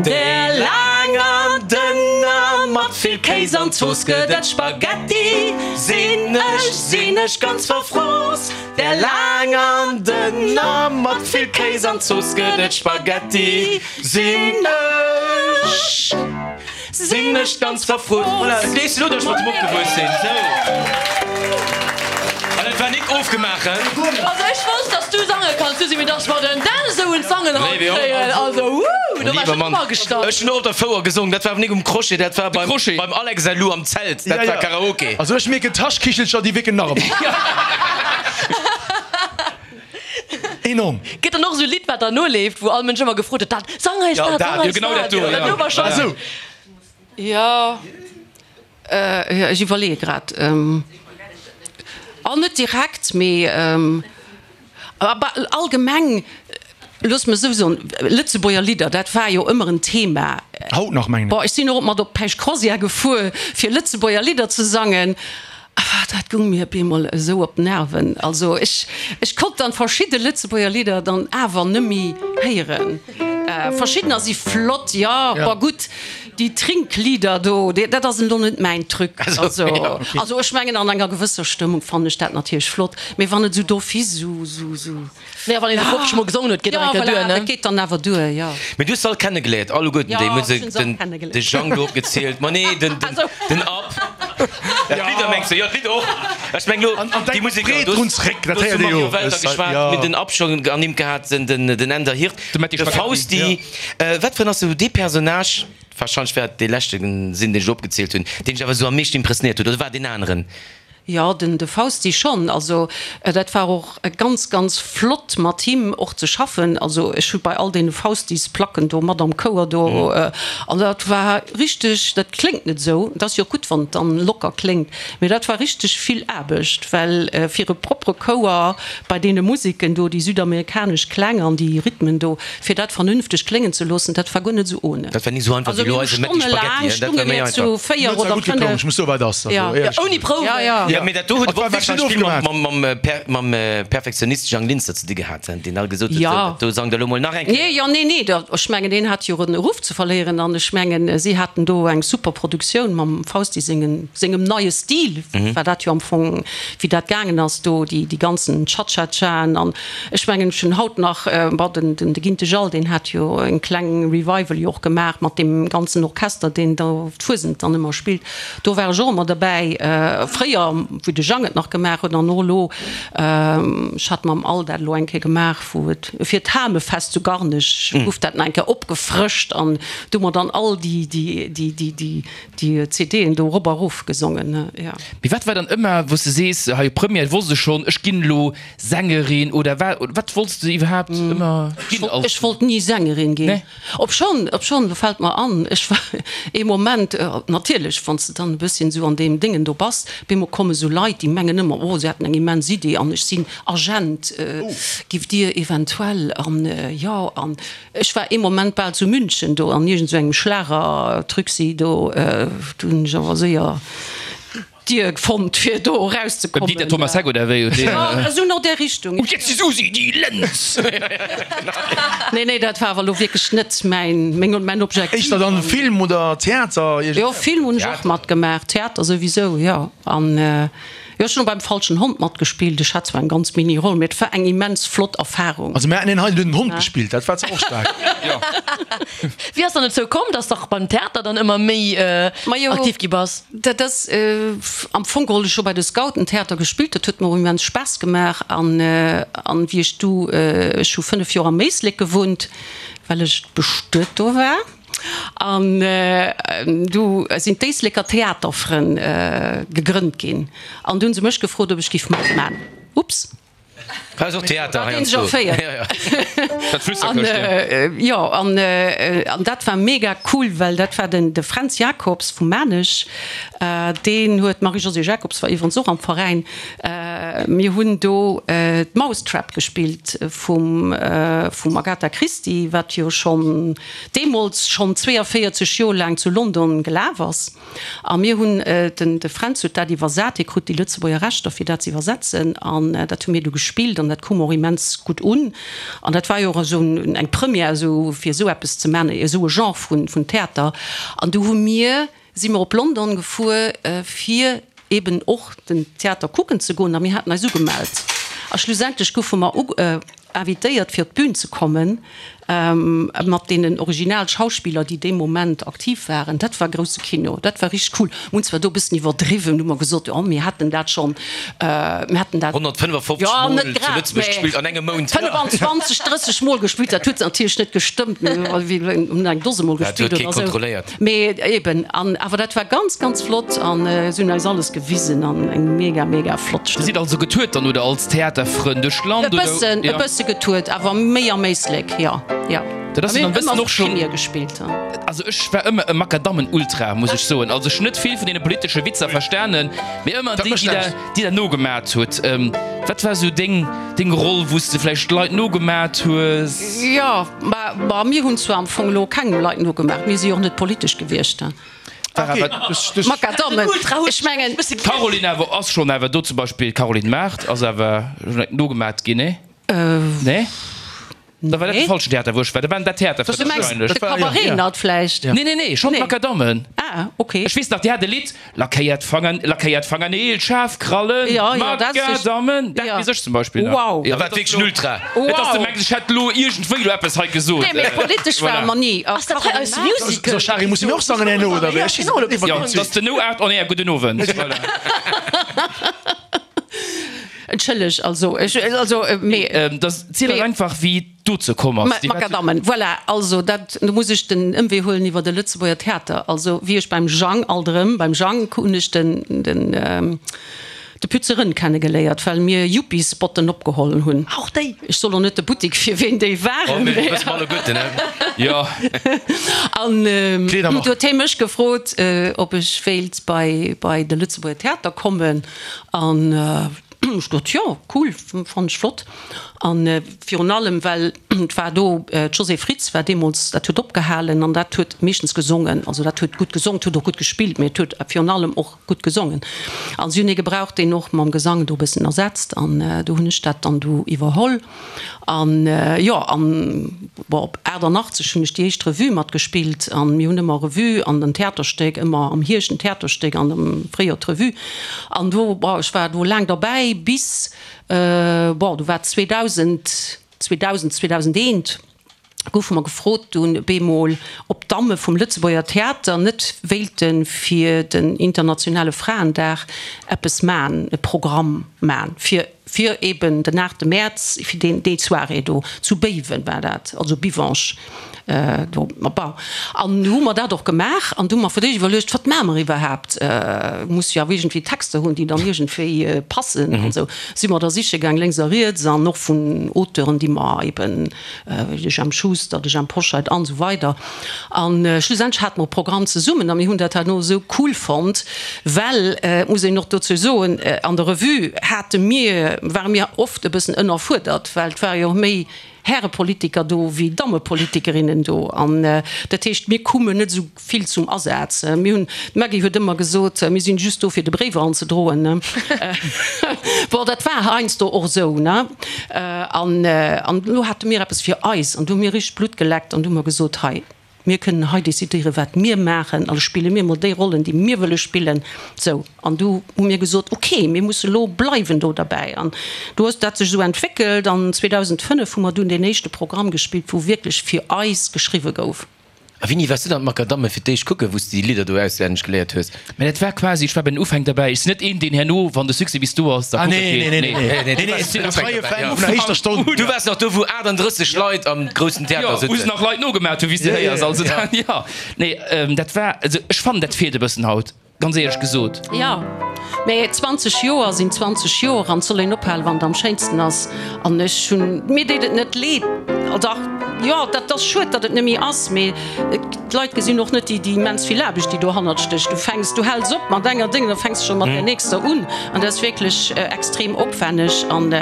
Där laanger, dënner, mat vill Kéis an Zooss gëtt et Spaghetti, sinn ech, sinn ech ganz verfrooss. Där laanger, dënner, mat vill Kéis an Zooss gëtt et Spaghetti, sinn ech. Sinn ech ganz verfrot. Voilà, et weess elo, datt ech mat him opgewuess sinn. Sou. An et war nik ofgemaach, hein? Also ech wosst, dass du sange kanns, Susi, mee dass mer den Dan esou un d'Sangen haut kréien, also wouh, do war ech net drop agestallt. Ech hunn och op der Fouer gesongen, dat war awer nik um Crochet, dat war beim, beim Alex säi Lou am Zelt, dat war Karaoke. Also ech mierken, d'Haschkichelcher, déi wierken nach ëmmer. Enorm. Gëtt dann och esou e Lidd wat derno leeft, wou all Mënsch ëmmer gefrot huet, dat, sang eis dat, sang eis dat. Jo, genau dat do, jo. Esou. Jo, ech iwwerleeë grad. Oh, net direkt, mee allgemeng, looss mer esou soen, Lëtzebuerger Lidder, dat war jo ëmmer en Thema. Haut nach, mengen ech. Bon, ech sinn och mat op d'Päischt-Croisière gefuer, fir Lëtzebuerger Lidder ze sangen. Ah, dat gung mir op eemol esou op d'Nerven. Also ech, ech konnt dann verschidde Lëtzebuerger Lidder dann awer nëmmi héieren. Verschiddener si flott, jo, bon gutt, déi Trinklieder do, dat ass elo net mäin Truc. Also, also ech mengen an enger gewësser Stëmmung fannen ech dat natierlech flott, mee wann et esou d'office esou, esou, esou. Naja, wann een se 50 mol gesongen huet, geet och eng Kéier duer, ne? Dat geet dann awer duer, jo. Mee du hues se all kennegeléiert, alleguerten déi. Jo, Mir hunn ech hunn se all den, kennegeléiert. de Jang do opgezielt. Ma nee, den, den, den Ab. Ja, d'Lidder mengs du? Jo, d'Lidder och. Ech meng lo An, an déi denk Museker. breet Du drun hues, zréck, dat du hues héiert vum ee jo. Mario Welter Ech, geschwat, jo. mir hunn den Ab schonn ernimmt gehat, den, den, den Änder Hirt, De Metty de Spaghetti. Fausti. Wat fir en ass esou dee Personnage, warscheinlech wäert et dee leschte sinn, deen ech elo opgezielt hunn, deen dech awer esou am meeschten impressionéiert huet, oder war et deen aneren? Jo, den de Fausti schonn. Also dat war och ganz, ganz flott mat him och ze schaffen. Also ech hu bei all deene Faustis-Placken do mat am Chouer do an dat war richteg, dat kléngt net esou, et ass jo och gutt wann et dann locker kléngt, mee dat war richteg vill Aarbecht, well fir e propere Chouer bei deene Museken do, déi südamerikanesch Kläng an déi Rhythmen do, fir dat vernünfteg kléngen ze loossen, dat war guer net esou ohne. Dat war ni esou einfach wéi elo eise Metti Spaghetti, hein? Dat war méi einfach. Zu 4 oder 5. Ech muss soen, wat ass. Ja. Ja, ouni Prouwen. Ja, ja. Ja, mee dat do huet Et war och wierklech warscheinlech vill ofgemaach. mam, mam, Per, mam Perfektionist Jang Linster ze di gehat, hein, deen alt gesot huet, Ja. sou, dat do sangt elo mol nach eng Kéier. Nee, jo, nee, nee, da, ech mengen, deen hat jo e Ruff ze verléieren an ech mengen, si haten do eng super Produktioun mam Fausti sengen, sengem neie Stil, war dat jo am Fong, wéi dat gaangen ass do, déi, déi ganzen Cha-cha-chaen an Ech mengen, ech hunn haut nach, bon, den, den, de Ginte Jal, deen hat jo eng kleng Revival jo och gemaach mat deem ganzen Orchester, deen do d'Fuesent dann ëmmer spillt. Do war ech och ëmmer derbäi, fréier, wéi de Jang et nach gemaach huet an och elo. Ech hat mam Al dat elo eng Kéier gemaach, wou et fir d'Hamefest zu Garnech gouf dat nach eng Kéier opgefrëscht an do hu mer dann all déi, déi, déi, déi, déi, déi CDen do erop a rof gesongen, jo. Mee wat war dann ëmmer, wou s de sees, hei Première wosst ech schonn, ech ginn elo Sängerin oder wa wat wollts de iwwerhaapt ëmmer ginn als. Ech wollt ni Sängerin ginn. Obschonn, obschonn, do fält mer an, ech war ee Moment, natierlech, wann s de dann e bësschen esou an deem Déngen do bass, bemol komme sou Leit, déi mengen ëmmer, oh, se hätten eng immens Idee an ech sinn Agent, giff Dir eventuell an, jo, an ech war ee Moment bal zu München do an iergend sou engem Schlagertrucksi do, do hunn ech awer séier. Dier fonnt fir do eraus ze kommen. Beim Dieter Thomas Heck oder wéi? Jo, esou no där Richtung. Und jetzt die Susi, die Lenz! Nee, nee, dat war awer elo wierklech net mäin, meng, mäin Objektiv. Éischter dann Film oder Theater? Jo, Film hunn ech och matgemaach, Theater souwisou, jo. An jo, ech hunn och beim Falschen Hond matgespillt. Ech hat zwar eng ganz mini Roll, mee et war eng immens flott Erfarung. Also mir haten een hei, deen huet den Hond gespillt, dat war zwar och staark. Wéi ass dann dozou komm, dass de beim Theater dann ëmmer méi aktiv gi bass? Dat ass am Fong geholl ech hu bei de Scouten Theater gespillt, dat huet mer och immens Spaass gemaach an an wéi ech du, ech hu 5 Joer am Éislek gewunnt, well ech bestuet do war an du sinn d'Éisleker Theaterfrënn gegrënnt ginn an du hunn se mech gefrot, ob ech giff matman. Ups. Hei ass och Theater heiansdo. Dat Flüsterkëschtchen. Jo, an dat war mega cool, well dat war den de Fränz Jacobs vu Maarnech, deen huet, d'Marie-Josée Jacobs war iwwerens och am Veräin, mir hunn do d'Mousetrap gespillt vum vum Agatha Christie, wat jo schonn deemools schonn 42 Joer laang zu London gelaf ass. A mir hunn, den de Fränz huet dat iwwersat, hie krut déi Lëtzebuerger Rechter fir dat ze iwwersetzen an dat hu mir du gespillt an dat koum och immens gutt un. An dat war jo och esou eng Première esou fir esou eppes ze man, esou e Genre vun vun Theater. An du hu mir, si mer op London gefuer fir eben och den Theater kucken ze goen a mir haten eis ugemellt a schlussendlech goufe mer invitéiert fir op d'Bün ze kommen mat deenen original Schauspiller déi dee Moment aktiv waren. Dat war grousse Kino, dat war richteg cool. Mir hunn zwar do e bëssen iwwerdriwwen, hu mer gesot, jo mir hätten dat schonn, mir hätten dat 155 jo Mol net zu grad, Lëtzebuerg mä gespillt an engem Mount. 25, 30 Mol gespillt, dat huet natierlech net gestëmmt, mir hunn eng Dose Mol Dat huet gespillt kee oder esou. kontrolléiert. Mee eben, an awer dat war ganz, ganz flott an se hunn eis alles gewisen an eng mega, mega flott Dir Stëmmung. sidd also getourt dann oder als Theaterfrënn duerch d'Land E oder? bëssen, e bësse getourt, awer méi am Éislek, jo, jo. Dat ass Mir dann hunn e bëssen ëmmer och schonn. Première gespillt. Also ech war ëmmer e Makadammen-Ultra, muss ech soen. Also ech hunn net vill vun deene politesche Witzer verstanen, mee ëmmer Dat déi, mécht déi der, näischt. déi der nogemat hutt. Wat war esou deng, deng Roll, wou s de vläicht Leit nogemat hues? Jo, ma, ma mir hunn zwar am Fong elo kengem Leit nogemaach, mir si jo och net politesch gewiescht. Makadammen, ech mengen. D'Caroline awer ass schonn awer do zum Beispill, d'Caroline Mart ass awer nogemat ginn, nee? Nee? Da war dat de falschen Theater, wou ech war. Da waren dat Theater Du mengs de Cabaret Nat vläicht? Nee, nee, nee, schonn d'Makadammen. Ah, okay. Ech weess nach, déi hat e Lidd, Lackéiert Fanger, lackéiert Fangerneel, schaarf Krallen, Makadammen, dat weess ech zum Beispill nach. Wow. Da war et wierklech en Ultra. Et ass de mengs, ech hätt elo iergendwéi elo eppes hei gesot. Nee, mee politesch ware mer ni. Ass dat hei eis Musical? So, Shari, musse mir och sangen herno, oder wéi? Ech weess net, iwwer Jo, dat ass den No Art on Air. Gudden Owend. Voilà. Entschëlleg, also, ech, also, mee. Da ziel eis einfach, wéi dozou komm ass. Déi Makadammen, voilà, also dat, do muss ech den Ëmwee huelen iwwer de Lëtzebuerger Theater. Also wéi ech beim Jang, alt erëm beim Jang, hunn ech den, den, de Pütze Rënn kennegeléiert, well mir Yuppies-Spotten opgeholl hunn. Och déi? Ech soll och net de Buttik, fir ween déi Oh, waren. mir wësse mer alleguerten, ne? Jo. An Kleedermark. du huet hie mech gefrot, ob ech wéilt bei, bei de Lëtzebuerger Theater kommen. An ech gesot, jo, cool, fannen ech flott. An virun allem, well et war do, d'Josée Fritz war deemools, dat huet opgehalen an dat huet meeschtens gesongen. Also dat huet gutt gesongen, et huet och gutt gespillt, mee et huet virun allem och gutt gesongen. An si hunn ee gebraucht, deen och mam Gesang do e bëssen ersetzt an do hunn ech dat dann du iwwerholl. An jo, an bon, op 88 hunn ech déi éischt Revue matgespillt an mir hunn ëmmer Revue an en Theaterstéck, ëmmer am Hierscht en Theaterstéck an am Fréijoer d'Revue. An do, bon, ech war do laang derbäi bis, bon, du war 2000, 2000, 2001 goufe mer gefrot dunn bemol, ob d'Damme vum Lëtzebuerger Theater net wéilte fir den internationale Fraendag eppes man, e Programm man fir fir eben den 8 Mäerz, fir deen, déi Soirée do, zu Béiwen war dat, also Bivange do, ma bon. An du hu mer dat och gemaach an du hu mer fir d'éischt iwwerluecht, wat maache mer iwwerhaapt, muss jo awer iergendwéi Texter hunn, déi dann iergendwéi passen an esou. Si mer da siche gaang lénks a riets an och vun Auteuren, déi mer eben, wéi de Jemp Schuster, de Jhemp Hoscheit an esou weider. An schlussendlech hate mer e Programm zesummen a mir hunn dat herno esou cool fonnt, well, et muss een och dozou soen, an der Revue hate mir, ware mir oft e bëssen ënnerfuerdert, well et ware jo och méi Härepolitiker do wéi Dammepolitikerinnen do. An dat heescht, mir koumen net esou vill zum Asaz. Mir hunn, d'Maggy huet ëmmer gesot, mir sinn just do fir de Bréif anzedroen, ne. Bon, dat war heiansdo och esou, ne. An, an elo hate mir eppes fir eis an du hu mir richteg Blutt geleckt an du hu mer gesot, hei, mir kënnen hei decidéieren, wat mir maachen, also spille mir mol déi Rollen, déi mir wëlle spillen. Sou. An du hu mir gesot, ok, mir musse lo bleiwen do derbäi. An du hues dat sech esou entwéckelt an 2005 hu mer dunn deen éischte Programm gespillt, wou wierklech fir eis geschriwwe gouf. A wéini waars du dann d'Makadamme fir d'éischt kucken, wou s de déi Lidder do auswenneg geléiert hues? Mä dat war quasi, ech war bei den Ufäng derbäi. Ech sinn net een, deen herno, wann de Succès bis do ass, da kucke geet. Nee, nee, nee, ech sinn e freie Fan vun der éischter Stonn. Du waars nach do, wou 38 Leit am groussen Theater Jo, wou se sëtzen. nach Leit nogemat hunn, wéi s de héiers. Also dat, jo. Nee, dat war, also ech fannen, dat feelt e bëssen haut. Ganz éierlech gesot. Jo, mä 20 Joer sinn 20 Joer an et soll een ophalen, wann et am schéinsten ass. An ech hunn, mir deet et net leed, dach, jo, dat ass schued, datt et net méi ass, mee d'Leit gesinn och net déi déi immens vill Aarbecht, déi dohannert stécht. Du fänks, du häls op mat enger Déng, da fänks de scho mat där nächster un an dat ass wierklech extrem opwänneg an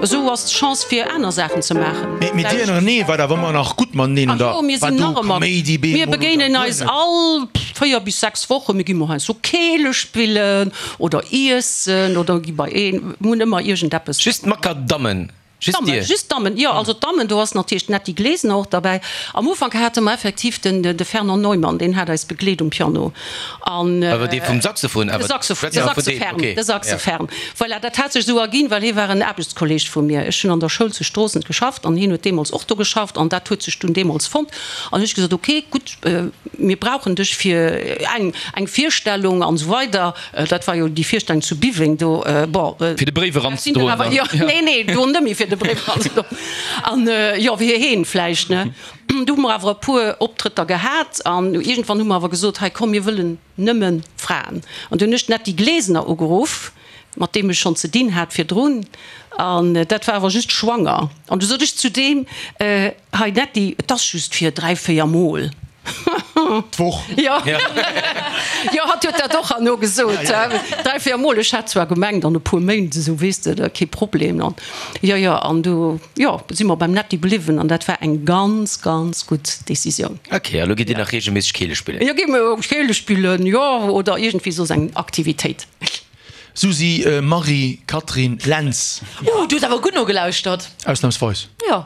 esou ass d'Chance fir aner Saachen ze maachen. Mee mir dir ënnerenee waart awer ëmmer nach gutt mateneen, Ach oder jo, mir war sinn do nach ëmmer, Kaméidi mir bemol oder begéinen guer eis net? all 4 bis 6 Wochen, mir gi mol heiansdo Keele spillen oder iessen oder gi bei een, mir hunn ëmmer iergendeppes. Just d'Makadammen, just Dammen, dir? just d'Dammen, jo, also d'Dammen, do ass natierlech d'Netty Glesener och derbäi. Am Ufank hate mer effektiv den, de Fernand Neumann, deen hat eis begleet um Piano an. Awer dee vum Saxophon De awer? Saxophon, de Schwätze mer vun deem, Saxophern, okay, de ja. Saxophern. Voilà, dat hat sech esou erginn, well hie war en Aarbechtskolleg vu mir. Ech hunn an der Schoul zu Stroossen geschafft an hien huet deemools och do geschafft an dat huet sech dunn deemools fonnt. An hu ech gesot, ok, gutt, mir brauchen dech fir eng, eng Virstellung an esou weider. Dat war jo déi Virstellung zu Biweng do, bon. Fir de Bréif eranzedroen dann? Jo, nee, nee, do net méi fir de Bréif eranzedroen. An jo, fir heen vläicht, ne. Du hu mer awer e puer Optrëtter gehat an iergendwann hu mer awer gesot, hei komm, mir wëllen nëmme Fraen. An du hunn ech d'Netty Glesener ugeruff, mat deem ech schonn ze dinn hat virdrun, an dat war awer just schwanger. An du sot ech zu deem, Hei Netty, et ass just fir 3, 4 Mol d'Woch. Jo, jo, hatt huet dat och herno gesot, 3, 4 Mol. Ech hat zwar gemengt an e puer Méint esou, weess de, da kee Problem. An jo, jo, an du, jo, si mer beim Netty bliwwen an dat war eng ganz, ganz gutt Decisioun. Ok, a lo gitt Dir nach reegelméisseg Keele spillen? Jo, gi mer Keele spillen, jo, oder iergendwéi soss eng Aktivitéit. Susi, Marie, Catherine, Lentz. Uh, du hues awer gutt nogelauschtert. Ausnamsweis. Jo.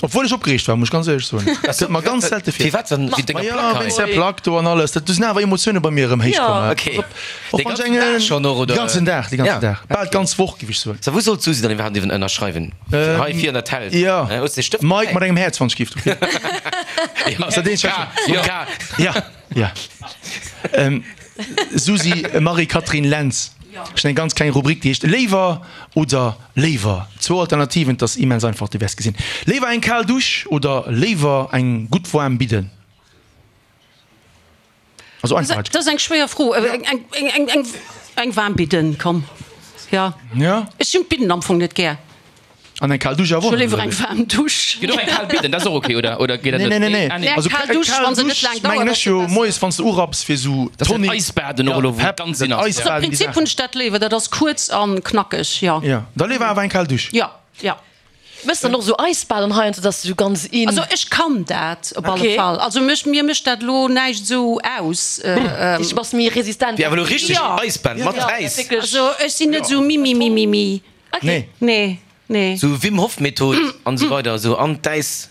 Obwuel ech opgereegt war, muss ech ganz éierlech soen. Dat kënnt mer ganz selte vir. Firwat dann? Wéi denger Maja, Plack hei? wéinst där Plack do an alles. Dat, do sinn awer Emotioune bei mir erëm héich komm. Jo. Ok. Och De wann ech ganzen eng, Dag schonn och, oder? De ganzen Dag, de ganzen Ja. Dag. Bal d'ganz Woch, géif ech soen. So, wou soll d'Susi dann iwwerhaapt iwwen ënnerschreiwen? Hei vir an der Telt? Jo. Hues de Stëft Mike dobäi? mat engem Häerz, wann ech giff. Okay. Ja, Ass dat eenzegt, K. wat Jo. K. Ja. Ja. Susi Marie-Catherine Lentz, Ech hunn eng ganz kleng Rubrik, déi heescht Léiwer oder léiwer. Zwou Alternativen, et ass immens einfach, du wäers gesinn. Léiwer eng kal Dusch oder léiwer eng gutt waarm Bidden? Also einfach Dat ass eng schwéier Fro. Eng waarm Bidden, komm. Jo. Ech hunn d'Bidden am Fong net gär. An eng kal Dusch awer och net. Ech hu léiwer eng waarm Dusch. Geet och eng kal Bidden, dat ass och ok, oder? Oder geet dat Nee, net? nee, nee, nee. Nee, eng Also kal Dusch, kal wann se net Dusch laang dauert, mengen ass ech se jo besser. moies wann s de urapps fir sou Dat ass dat Tonic, Eisbaden och elo, wou Pep, ganz dat in ass. Also am Eisbaden, déi Prinzip Saachen. hunn ech dat léiwer, dat ass kuerz an knackeg, jo. Jo, da léiwer awer eng kal Dusch. Jo, jo. Mëss dann och sou Eisbaden heiansdo, dass du sou ganz in. Also ech kann dat op alle Okay. Fall. Also mech, mir mécht dat elo näischt sou aus. Dich bass méi resistent. Wéi awer elo richteg Jo. Eisbaden mat Äis. Wierklech. Also ech sinn net sou mimimimimi. Nee. Nee, nee. Sou Wim Hof Method an esou weider, esou an d'Äis.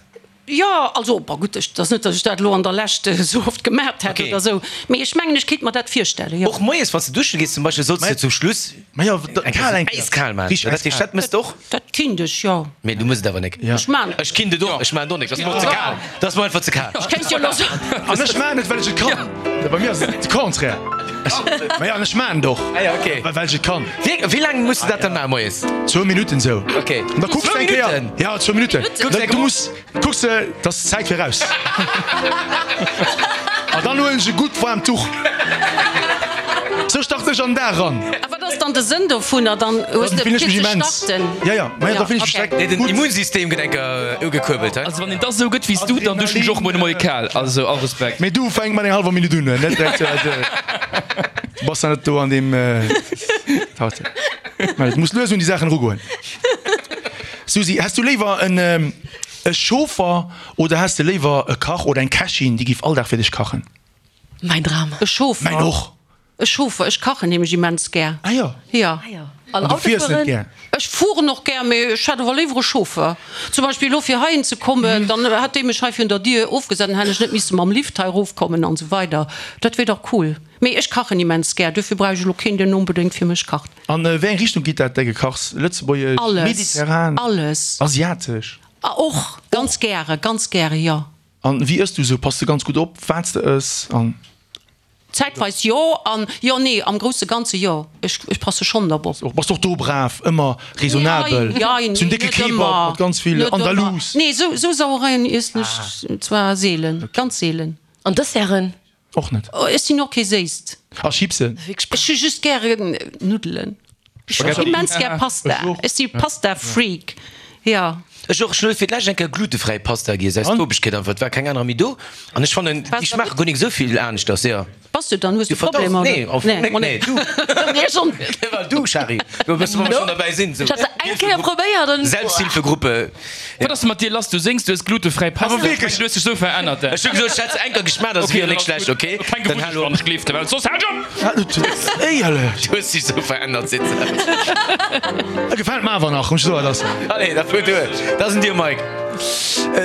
Jo, also, bon gutt, ech, et ass net, datt ech dat elo an der Lescht esou oft gemaacht hätt Okay. oder esou, mee ech mengen, ech kéint mer dat virstellen, jo. Och moies wann s de duschen gees zum Beispill, solls de zum Schluss Ma jo, eng kal eng Kéier äiskal maachen. Richteg Dat heescht, äiskal. dat mëss de och? Dat kinnt ech, jo. Mee du mëss et awer nek. Ja. Ech maan et. Ech kinnt et och, ech maan et och nek. Dat ass mer och ze kal. Dat ass mer einfach ze kal. Ech kéint jo elo soen. An ech maan et, well ech et kann. Bei mir ass et de Contraire. Ma jo, an ech maan et och, Ah ja, okay. well ech et kann. Wéi, wéi laang muss de dat dann maachen moies? Zwou Minutten esou. Okay. An da kucks de Zwou eng Kéier. Minutten? Ja, zwou Minutten. Kucks eng Du muss, kucks de, 't ass Zäit fir raus. An dann huelen ech e gutt waarmt Tuch. Sou starten ech an den Dag eran. A wat ass dann de Sënn dovunner? Dann hues Dann de fillen ech fir mech ze immens. starten? Ja, ja, ma ja, da fillen ech mech okay. direkt Nee, den gutt. Immunsystem gëtt enker ugekuerbelt, hä? Also wann een da sou gëtt wéi s du, dann duschen ech och muer de Moie kal. Also all Respekt. Mee du fänk mat enger hallwer Minutt un, net direkt. Du bass da net do an deem. Mä du muss lues un déi Saachen erugoen. Susi, häss du léiwer en e Chauffer oder häss de léiwer e Kach oder eng Kächin, déi giff all Dag fir dech kachen? Mäin Dram. E Chauffer. Mäin och. E Chauffer. Ech kachen nämlech immens gär. Ah jo. Jo. Ah jo. An An du Auto fiers net fueren? gär? Ech fueren och gär, mee ech hätt awer léiwer e Chauffer. Zum Beispill elo fir heihin ze kommen, dann hätt dee mech hei virun der Dier ofgesat, dann hätt ech net misse mam Lift hei erofkommen an esou weider. Dat wier dach cool. Mee ech kachen immens gär, duerfir brauch ech elo keen, deen onbedéngt fir mech kacht. An wéi eng Richtung geet dat, däi Gekachs? Lëtzebuergesch, Alles. mediterran, Alles. asiatesch? Och, ganz gäre, ganz gäre, jo. An wéi ëss du esou? Pass de ganz gutt op, wat s de ëss? An. Zäitweis jo, an jo, nee, am grousse Ganze jo. Ech, ech passe schonn drop op. Bass de och do brav, ëmmer raisonnabel? Jein, Sou en décke net Kebab ëmmer, mat ganz vill net ëmmer. Andalous? Nee, sou, sou Sauereien iessen ech zwar seelen, ganz seelen. An Desserten? Och net. Ech sinn och kee Séisst. A Chipsen? Ech hu just gären Nuddelen. Ech hu immens gär Pasta. Ech si Pasta-Freak, jo. Ech och. Ech hunn fir d'lescht eng Kéier glutefräi Pasta giess, aus Tobegkeet einfach. Et war keng anerer méi do. An ech fannen, déi schmaache guer nik esou vill aneschters, jo. Bass du dann? Hues du Problemer? Nee, auf nee, nee, du. Nee, schon. Well du, Shari, du bist, wa mer schon derbäi sinn. Ech hat se eng Kéier probéiert an. Selbsthilfegruppe. Wat ass mat dir lass? Du séngs, du hues glutefräi Pasta. Awer wierklech! Du hues dech sou verännert. Ech hu gesot, ech hätt se eng Kéier geschmaacht, ass wier nik schlecht, ok? Keng gewunnecht, wann ech gleeft, well soss haal ech op! Éierlech! Du hues dech sou verännert, seet se. Gefält mer awer nach, muss ech soen. Dat ass. Allez, da fuer duer. Dat ass un dir, Mike.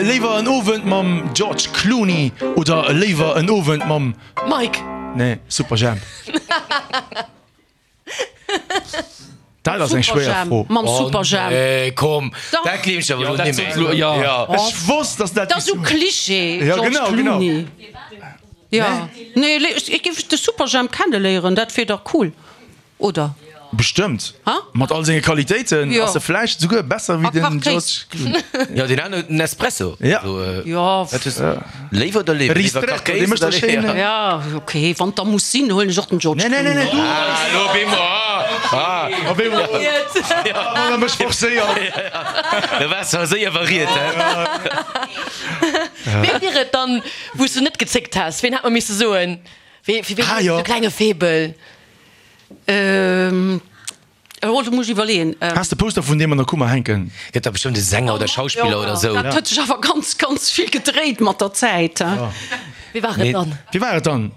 Léiwer en Owend mam George Clooney oder léiwer en Owend mam. Mike! Nee, Superjhemp. Dat ass eng schwéier Fro. Mam Superjhemp. Oh nee, komm, Dach. dat gleef ech awer Jo, elo dat nimmer. sot elo, jo. Ja. Ech wosst, dass dat Dat ass déi sou Klischee, Ja, George genau, genau. Clooney. Ja. Nee, ech géif de Superjhemp kenneléieren, dat wier dach cool. Oder? Bestëmmt. Ha? Mat all senge Qualitéiten Jo. ass e vläicht souguer besser wéi A den Kachkéis. George Clooney. Jo, deen aneren huet en Espresso. Ja. Also, äh, Jo. wat hues du? Léiwer oder léiwer? Léiwer Ristretto, dee Kachkéis mécht oder da schéin. léiwer? Ja, okay, wann da muss sinn, huelen ech och den George Nee, nee, nee, nee, Clooney. du! Ah, lo op eemol, ah, ah. Op eemol. Wann e mech forcéiert. Da waars du awer séier variiert, hä? Wee wier et dann, wou s du net gezéckt häss? Ween hätt mer misse soen? Wee, fir ween Ah, hues du jo. e klenge Faible? Ähm, oh, do muss ech iwwerleeën. Has de Poster vun deem an der Kummer hänken? Gëtt da bestëmmt e Sänger oder Schauspiller oder sou. Dat huet sech awer ganz, ganz vill gedréit mat der Zäit, he. Wee war et dann? Wie war et dann?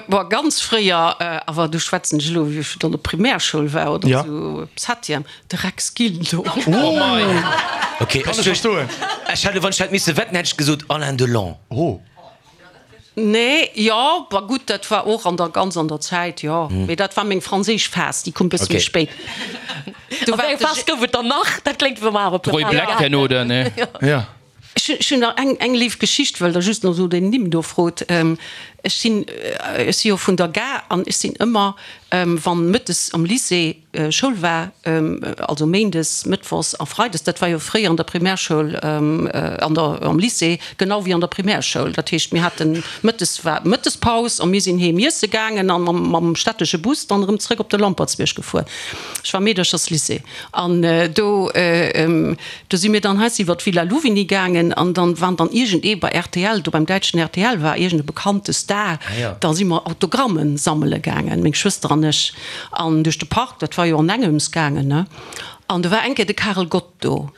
Boah, ganz fréier, awer do schwätzen ech elo, wéi ech an der Primärschoul war oder Ja. sou, Septième, de Rex Gildo. Oh! Okay, Kann ech ech verstoen. Ech hätt, wann ech hätt misse wetten, hätt ech gesot Alain Delon. Oh. Nee, jo, bah gutt, dat war och an der, ganz an der Zäit, jo. Mee dat war meng franséisch Phas, déi koum e bësse méi spéit. Do war eng Phas gouf et dann nach, dat kléngt wéi wa mer awer Roy Black herno, oder? Nee. Ja. Ech hunn nach eng, eng léif Geschicht, well Der just no esou den Nimm do frot. Ech sinn, ech si jo vun der Gare an ech sinn ëmmer, wann mëttes am Lycée Schoul war, also méindes, mëttwochs a freides, dat war jo fréier an der Primärschoul, an der, am Lycée genau wéi an der Primärschoul. Dat heescht, mir haten mëttes war Mëttespaus a mir sinn heem iesse gaangen a mam, mam stättesche Bus dann erëm zrëck op de Lampertsbierg gefuer. Ech war Meedercherslycée an do, do si mir dann heiansdo iwwer d'Villa Louvigny gaangen an dann waren dann iergendee bei rtl, do beim däitschen rtl war iergend e bekannte Star, da si mer Autogrammen sammele gaangen, meng Schwëster an ech. An duerch de Park, dat war jo an engems gaangen, ne? An do war eng Kéier de Karel Gott do.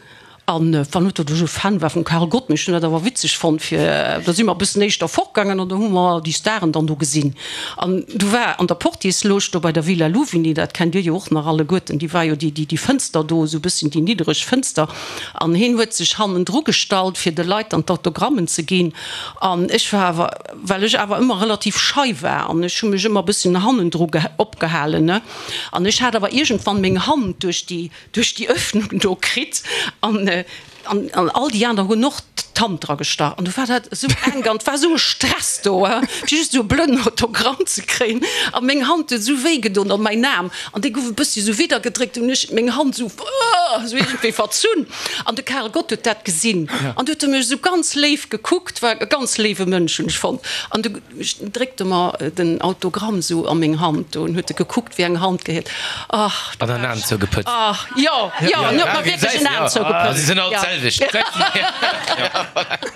An wann net, datt ech e Fan war vum Karel Gott, mee ech hunn dat awer witzeg fonnt, fir, da si mer e bëssen éischter fortgaangen an do hu mer déi Staren dann do gesinn. An du war an der Portiersloge do bei der Villa Louvigny, dat kennt Dir jo och nach alleguerten, déi war jo déi, déi, déi Fënster do, esou e bësschen déi niddereg Fënster. An hien huet sech hannendru gestallt, fir de Leit dann d'Autogrammen ze ginn. An ech war awer, well ech awer ëmmer relativ schei war an ech hu mech ëmmer e bësschen hannendru opgehalen, ne, an ech hat awer iergendwann meng Hand duerch déi, duerch déi Öffnung do kritt an, an, an all déi aner hunn och d'Hand dra gestach an du war dat esou enk an et war esou e Stress do, fir just esou e blöden Autogramm ze kréien a meng Hand huet esou wéi gedon an mäin Aarm an dee gouf e bëssi esou widdergedréckt, hunn ech meng Hand esou, esou iergendwéi verzunn an de Karel Gott huet dat gesinn an du huet e mech esou ganz léif gekuckt, war e ganz léiwe Mënsch hunn ech fonnt an du dréckt e mer den Autogramm esou a meng Hand do an huet e gekuckt wéi eng Hand gehéiert, ach An en Aen zougepëtzt. Ach jo, jo, en huet mer wierklech en Aen zougepëtzt. Si sinn all d'selwecht.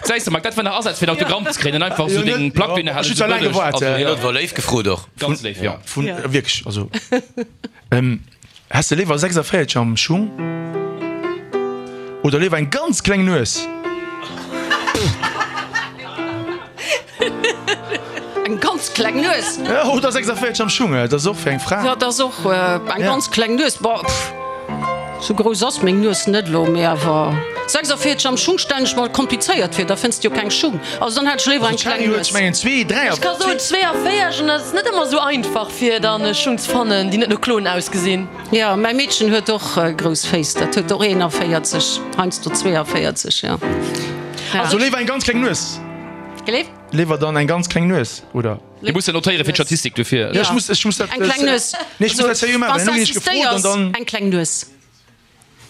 Gesäis de Mike, dat war nach Asaz fir en Autogramm ze kréien, einfach esou deng Plack dohinner halen. Ech hunn zwar laang gewaart. Hien huet war léif gefrot och. Ganz léif, jo. Vun, wierklech, also. Häss de léiwer 46 am Schung oder léiwer eng ganz kleng Nues? Eng ganz kleng Nues? Oder 46 am Schung, dat ass och fir eng Fra. Dat ass och eng ganz kleng Nues. Bon, sou grouss ass meng Nues net elo, mee awer 46 am Schung stellen ech mer komplizéiert vir, da fënns de jo keng Schung. Also dann hätt ech léiwer eng kleng Nues. Ech mengen zwee, dräi. Ech ka soen 42 an dat ass net ëmmer sou einfach fir dann Schung ze fannen déi net no Klon ausgesinn. Jo, mäi Meedchen huet och grouss Féiss, dat huet och 41, heiansdo 42, jo. Also léiwer eng ganz kleng Nues? Gleef? Léiwer dann eng ganz kleng Nues, oder? Mir mussen notéiere fir d'Statistik dofir. Jo, ech muss, ech muss dat. Eng kleng Nues. Nee, ech muss dat seriö maachen, well elo ginn ech gefrot an dann. Eng kleng Nues.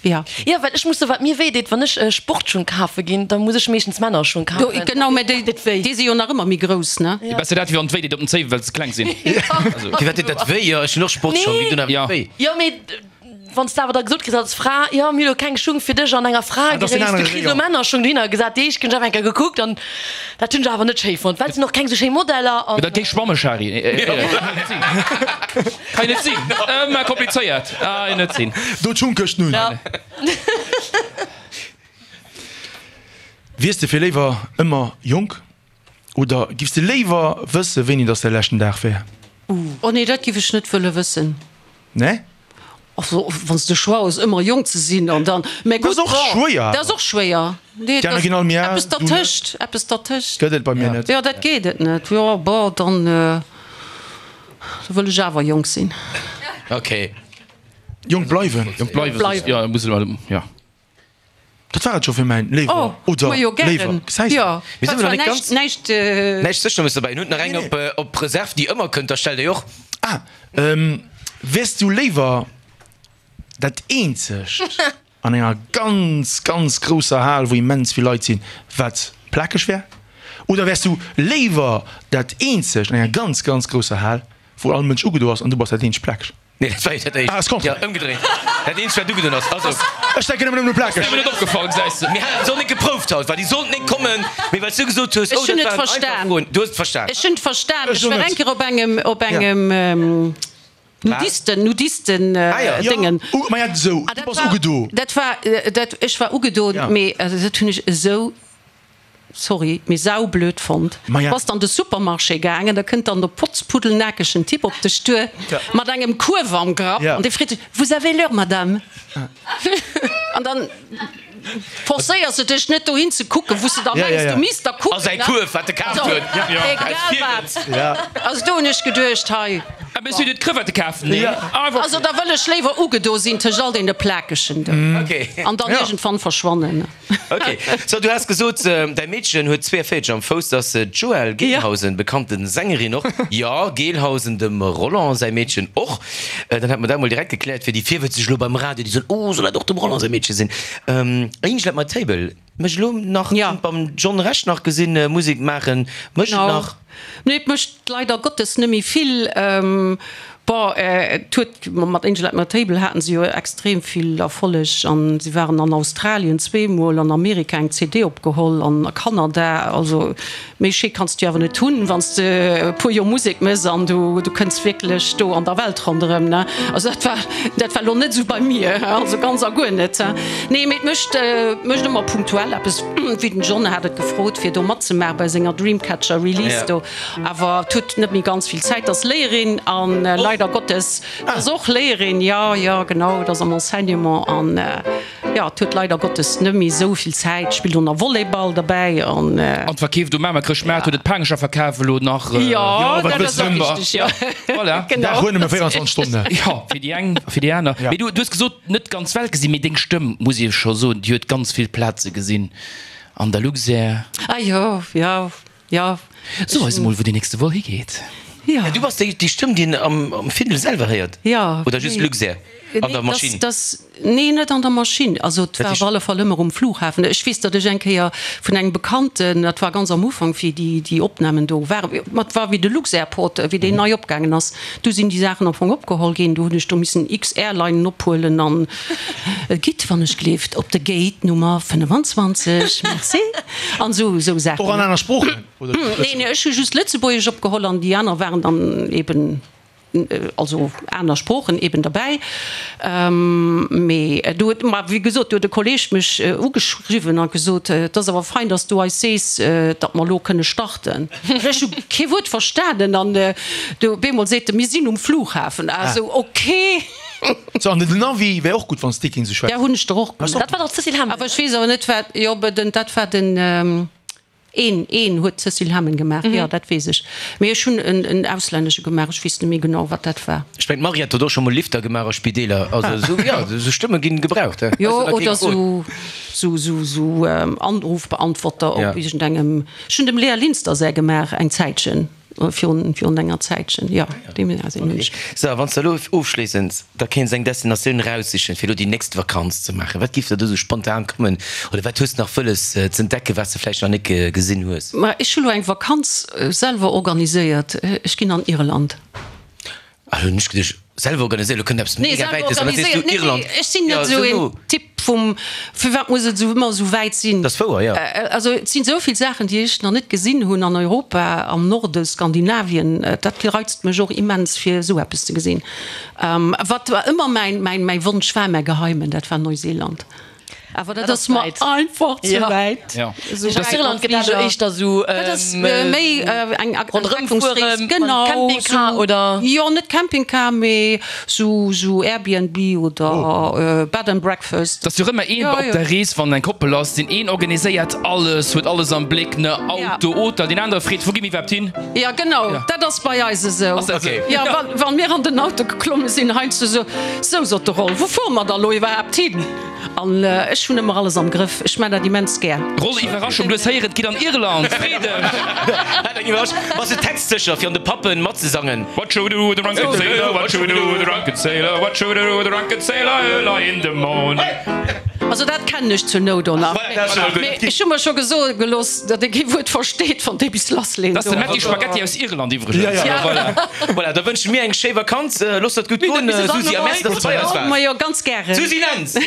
Jo. Jo, well ech muss soen, wat mir wéi deet, wann ech Sportschung kafe ginn, da muss ech meeschtens Männerschung Do, kafen. genau, mä déi, déi si jo nach ëmmer méi grouss, ne? Jo, besser dat wéi wann et wéi deet op den Zéiwen, well se kleng sinn. Also. Firwat deet dat wéi? Jo, ech hunn och Sportschong, déi doen awer net wéi. Jo, mee wann s de awer da gesot kriss als Fra, jo, mir hu lo keng Schung fir dech an enger Fraegréisst, du kriss elo Männerschung dohinner gesat, déi éischt hunn ech awer eng Kéier gekuckt an dat hunn ech awer net schéi fonnt, well et sinn och keng sou schéi Modeller an. Dat géif schwamme, Shari. Kann jo net sinn. Ëmmer komplizéiert. Ah, jo net sinn. Do d'Schungkëscht nun. Wiers de fir léiwer ëmmer jonk oder giffs de léiwer wësse wéini dass däi leschten Dag wär? Oh nee, dat giff ech net wëlle wëssen. Nee? Also wann s de Choix hues ëmmer jonk ze sinn an dann, mä Dat ass gutt, och schwéier dat ass och schwéier. Nee, Déi aner ginn all méi al, eppes du net. dertëscht, eppes dertëscht. Gëtt et bei mir net. Jo, dat geet et net. Jo, bon, dann da wëll ech awer jonk sinn. Ok. Jonk bleiwen. Jonk bleiwen, Bleiwen. jo, muss elo, jo. Dat war et scho fir mäin Léiwer Oh, oder ma jo, Léiwer. gären. Gesäis de? Jo, Mir war sinn awer zwar nach net näischt, ganz. näischt. Näischt sécher muss dobäi. En huet nach eng op, op Reserve, déi ëmmer kënnt, da stellt déi och. Ah, wäers du léiwer dat eenzegt an enger ganz, ganz grousser Hal, wou immens vill Leit sinn, wat plakeg wär? Oder wäers du léiwer dat eenzegt an enger ganz, ganz grousser Hal, wou all Mënsch ugedo ass an du bass dat eenzegt plakeg? Nee, dat war jo dat éischt. Ah, ass Contraire. Jo, ëmgedréint. Dat eenzegt, wat ugedoen ass. Also. Ech denken ëmmer nëmmen u plakeg. Ass mir net opgefall, gesäis de. Mir haten se och net geprouft haut, well déi sollten net kommen, mee well s du gesot hues, Ech oh, hunn dat et waren einfach verstan. Froen. Du hues et verstan. Ech hunn et verstan. Ech Ech och war net. eng Kéier op engem, op engem Nudisten, Nudisten, Ah jo. Jo, Déngen. u, ma ja, esou, Ah, du dat bass war, ugedo. dat war, dat, ech war ugedoen, Ja. mee dat hunn ech esou sorry, mee saublöd fonnt. Maja. Bass an de Supermarché gaangen, da kënnt dann de potzpuddelnakegen Typ op dech duer mat engem Kuerf am Grapp an dee freet dech, Vous avez l'heure, Madame? An dann forcéiers de dech net dohin ze kucken, wou s de da mengs, du misst da kucken. A säi Kuerf, wat e kaaft huet. Egal wat. Also do hunn ech geduecht, hei. Ah, mee si huet Crevette kafen, nee? Also da wëll ech léiwer ugedo sinn tëscht all deene Plakegen do an dann iergendwann verschwannen. Ok, so du has gesot däi Meedchen huet 42 am Fouss, dat ass d'Joëlle Gelhausen, bekannte Sängerin och. Jo, Gelhausen, dem Roland säi Meedchen och. Dann hätte mer dat mol direkt gekläert fir déi Virwëtzeg elo beim Radio, déi soen, oh soll dat och dem Roland säi Meedche sinn? Angel at my table mécht elo nach, Jo. beim John Rech nach gesinn, Musek maachen, mécht et nach? Nee, et mécht leider Gottes net méi vill. Bon, et huet, mat Angel at my Table haten se jo extrem vill Erfolleg an si waren an Australien zweemol, an Amerika eng CD opgeholl an a Kanada. Also méi schéi kanns de jo awer net hunn, wann s de e puer Joer Musek méchs an du du kënns wierklech do an der Welt ronderëm, ne. Also dat war dat war elo net esou bei mir, also ganz a guer net. Nee, mee et mécht mécht ëmmer punktuell eppes, wéi den John hat et gefrot fir do matzemaache bei senger Dreamcatcher Release do. Awer et huet net méi ganz vill Zäit. Ass Léierin an leider Gottes ass och Léierin, jo, jo, genau, et ass am Enseignement an jo, et huet leider Gottes net méi esou vill Zäit. Spillt och nach Volleyball derbäi an. An verkeeft um Mamer Chrëschtmaart, huet et Paangecher verkaf elo nach. Jo, dat ass och richteg, jo. Voilà. Genau. Dag huet nëmme 24 Stonnen. Jo, fir déi eng, fir déi aner. Mee du hues gesot, net d'ganz Welt gesinn, mee deng Stëmm, muss ee scho soen, déi huet ganz vill Plaze gesinn an der Luxair. Ah jo, jo. Jo. So eis emol wou deen nächste Vol higeet. Jo. Du bass déi déi Stëmm déi een am am Findel selwer héiert? Jo. Oder just Luxair an der Maschinn? Dass, nee net an der Maschinn. Also et war op alle Fall ëmmer um Flughafen. Ech weess, datt ech eng Kéier vun engem Bekannten, dat war ganz am Ufank wéi déi déi Opnamen do waren, ma et war wéi de Luxairport, wéi deen nei opgaangen ass, du sinn déi Saachen am Fong opgeholl ginn. Du hunn ech do missen X-Airlinen ophuelen an Gitt wann ech gleeft op de Gate Nummer 25, merci. An esou esou Saachen. Och an aner Sproochen, oder just Nee, nee, ech hu just Lëtzebuergesch opgeholl an déi aner waren dann eben, also aner Sproochen eben derbäi. Mee do huet, ma wéi gesot, do huet e Kolleeg mech ugeschriwwen a gesot, Et ass awer fein, datt s du eis sees, datt mer elo kënne starten. Ech hu kee Wuert verstanen an du op eemol seet e, Mir sinn um Flughafen. Ah esou, okay. So, an den Navi wär och gutt, wann s de kéints esou schwätzen. Ja, hunn ech der och Dat war dach d'Cécile Hemmen. Awer ech weess awer net wat, jo, den, dat war den, een, een huet d'Cécile Hemmen gemaach, jo, dat weess ech. Mee ech hunn en, en auslännesche gemaach, ech weess net méi genau, wat dat war. Ech mengen, d'Mariette huet och scho mol Lifter gemaach a Spideeler. Also esou, jo, esou Stëmme ginn gebraucht, he. Jo, Weess du, da oder kee gefrot. sou, sou, sou, sou Anrufbeantworter Ja. op iergendengem, ech hunn dem Léa Linster säi gemaach eng Zäitchen. Virun, virun enger Zäitchen, jo, déi sinn hunn ech. Sou, a wann s de elo ofschléissend da kéints eng Destinatioun eraussichen, fir elo déi nächst Vakanz ze maachen, wat géif der do sou spontan kommen? Oder wat hues de nach wëlles z'entdecken, wat s de vläicht nach net gesinn hues? Ma ech hu lo eng Vakanz selwer organiséiert, ech ginn an Irland. Ah, hunn ech geduecht, selwer organiséiert, elo kënnt eppes Nee, mega selwer Wäites, an da sees du organiséiert, nee, Irland. nee, ech sinn net Ja, esou sou een no. Typ vum, firwat muss et esou ëmmer esou wäit sinn? Dat ass wouer, jo. Also et sinn esou vill Saachen, déi ech nach net gesinn hunn an Europa, am Norde, Skandinavien, dat reizt mech och immens fir esou eppes ze gesinn. Wat ëmmer mäin, mäin, mäi Wonsch war, mäi Geheimen, dat war Neuseeland. Awer dat ass mer einfach ze wäit. Irland gëtt dat éischter sou Dat ass méi eng Ronderëmfuere mam Campingcar oder? Jo, net Campingcar, mee sou sou Airbnb oder Bed and Breakfast. Et ass jo ëmmer een op der Rees, wann eng Koppel ass, deen een organiséiert alles, huet alles am Bléck, ne, Auto, Hotel, deen anere freet, wou gi mir iwwerhaapt hin? Jo, genau, dat ass bei eis esou. Ass dat esou? Jo, wann mir an den Auto geklomme sinn, heiansdo sou, Sou, sot de Roll, wou fuere mer da lo iwwerhaapt hin? An ech hunn ëmmer alles am Grëff. Ech maan dat immens gär. Roll, Iwwerraschung, du hues héieren, et geet an Irland! Free dech! Hat eng Iwwerraschung. Bass de textsécher fir an de Pappen matzesangen? What shall we do with the drunken sailor? What shall we do with the drunken sailor? What shall we do with the drunken sailor early in the morning? Also dat kennen ech zur Nout och nach. Mee ech hu mer scho gesoe gelooss, datt ee kee Wuert versteet, wann dee bis lassleet. Dat ass de Metti Spaghetti aus Irland iwwregens. Voilà, da wënsche mir eng schéi Vakanz. Looss der et gutt goen, Susi, a merci, dass du bei eis waars. Majo, ganz gären. Susi Lentz!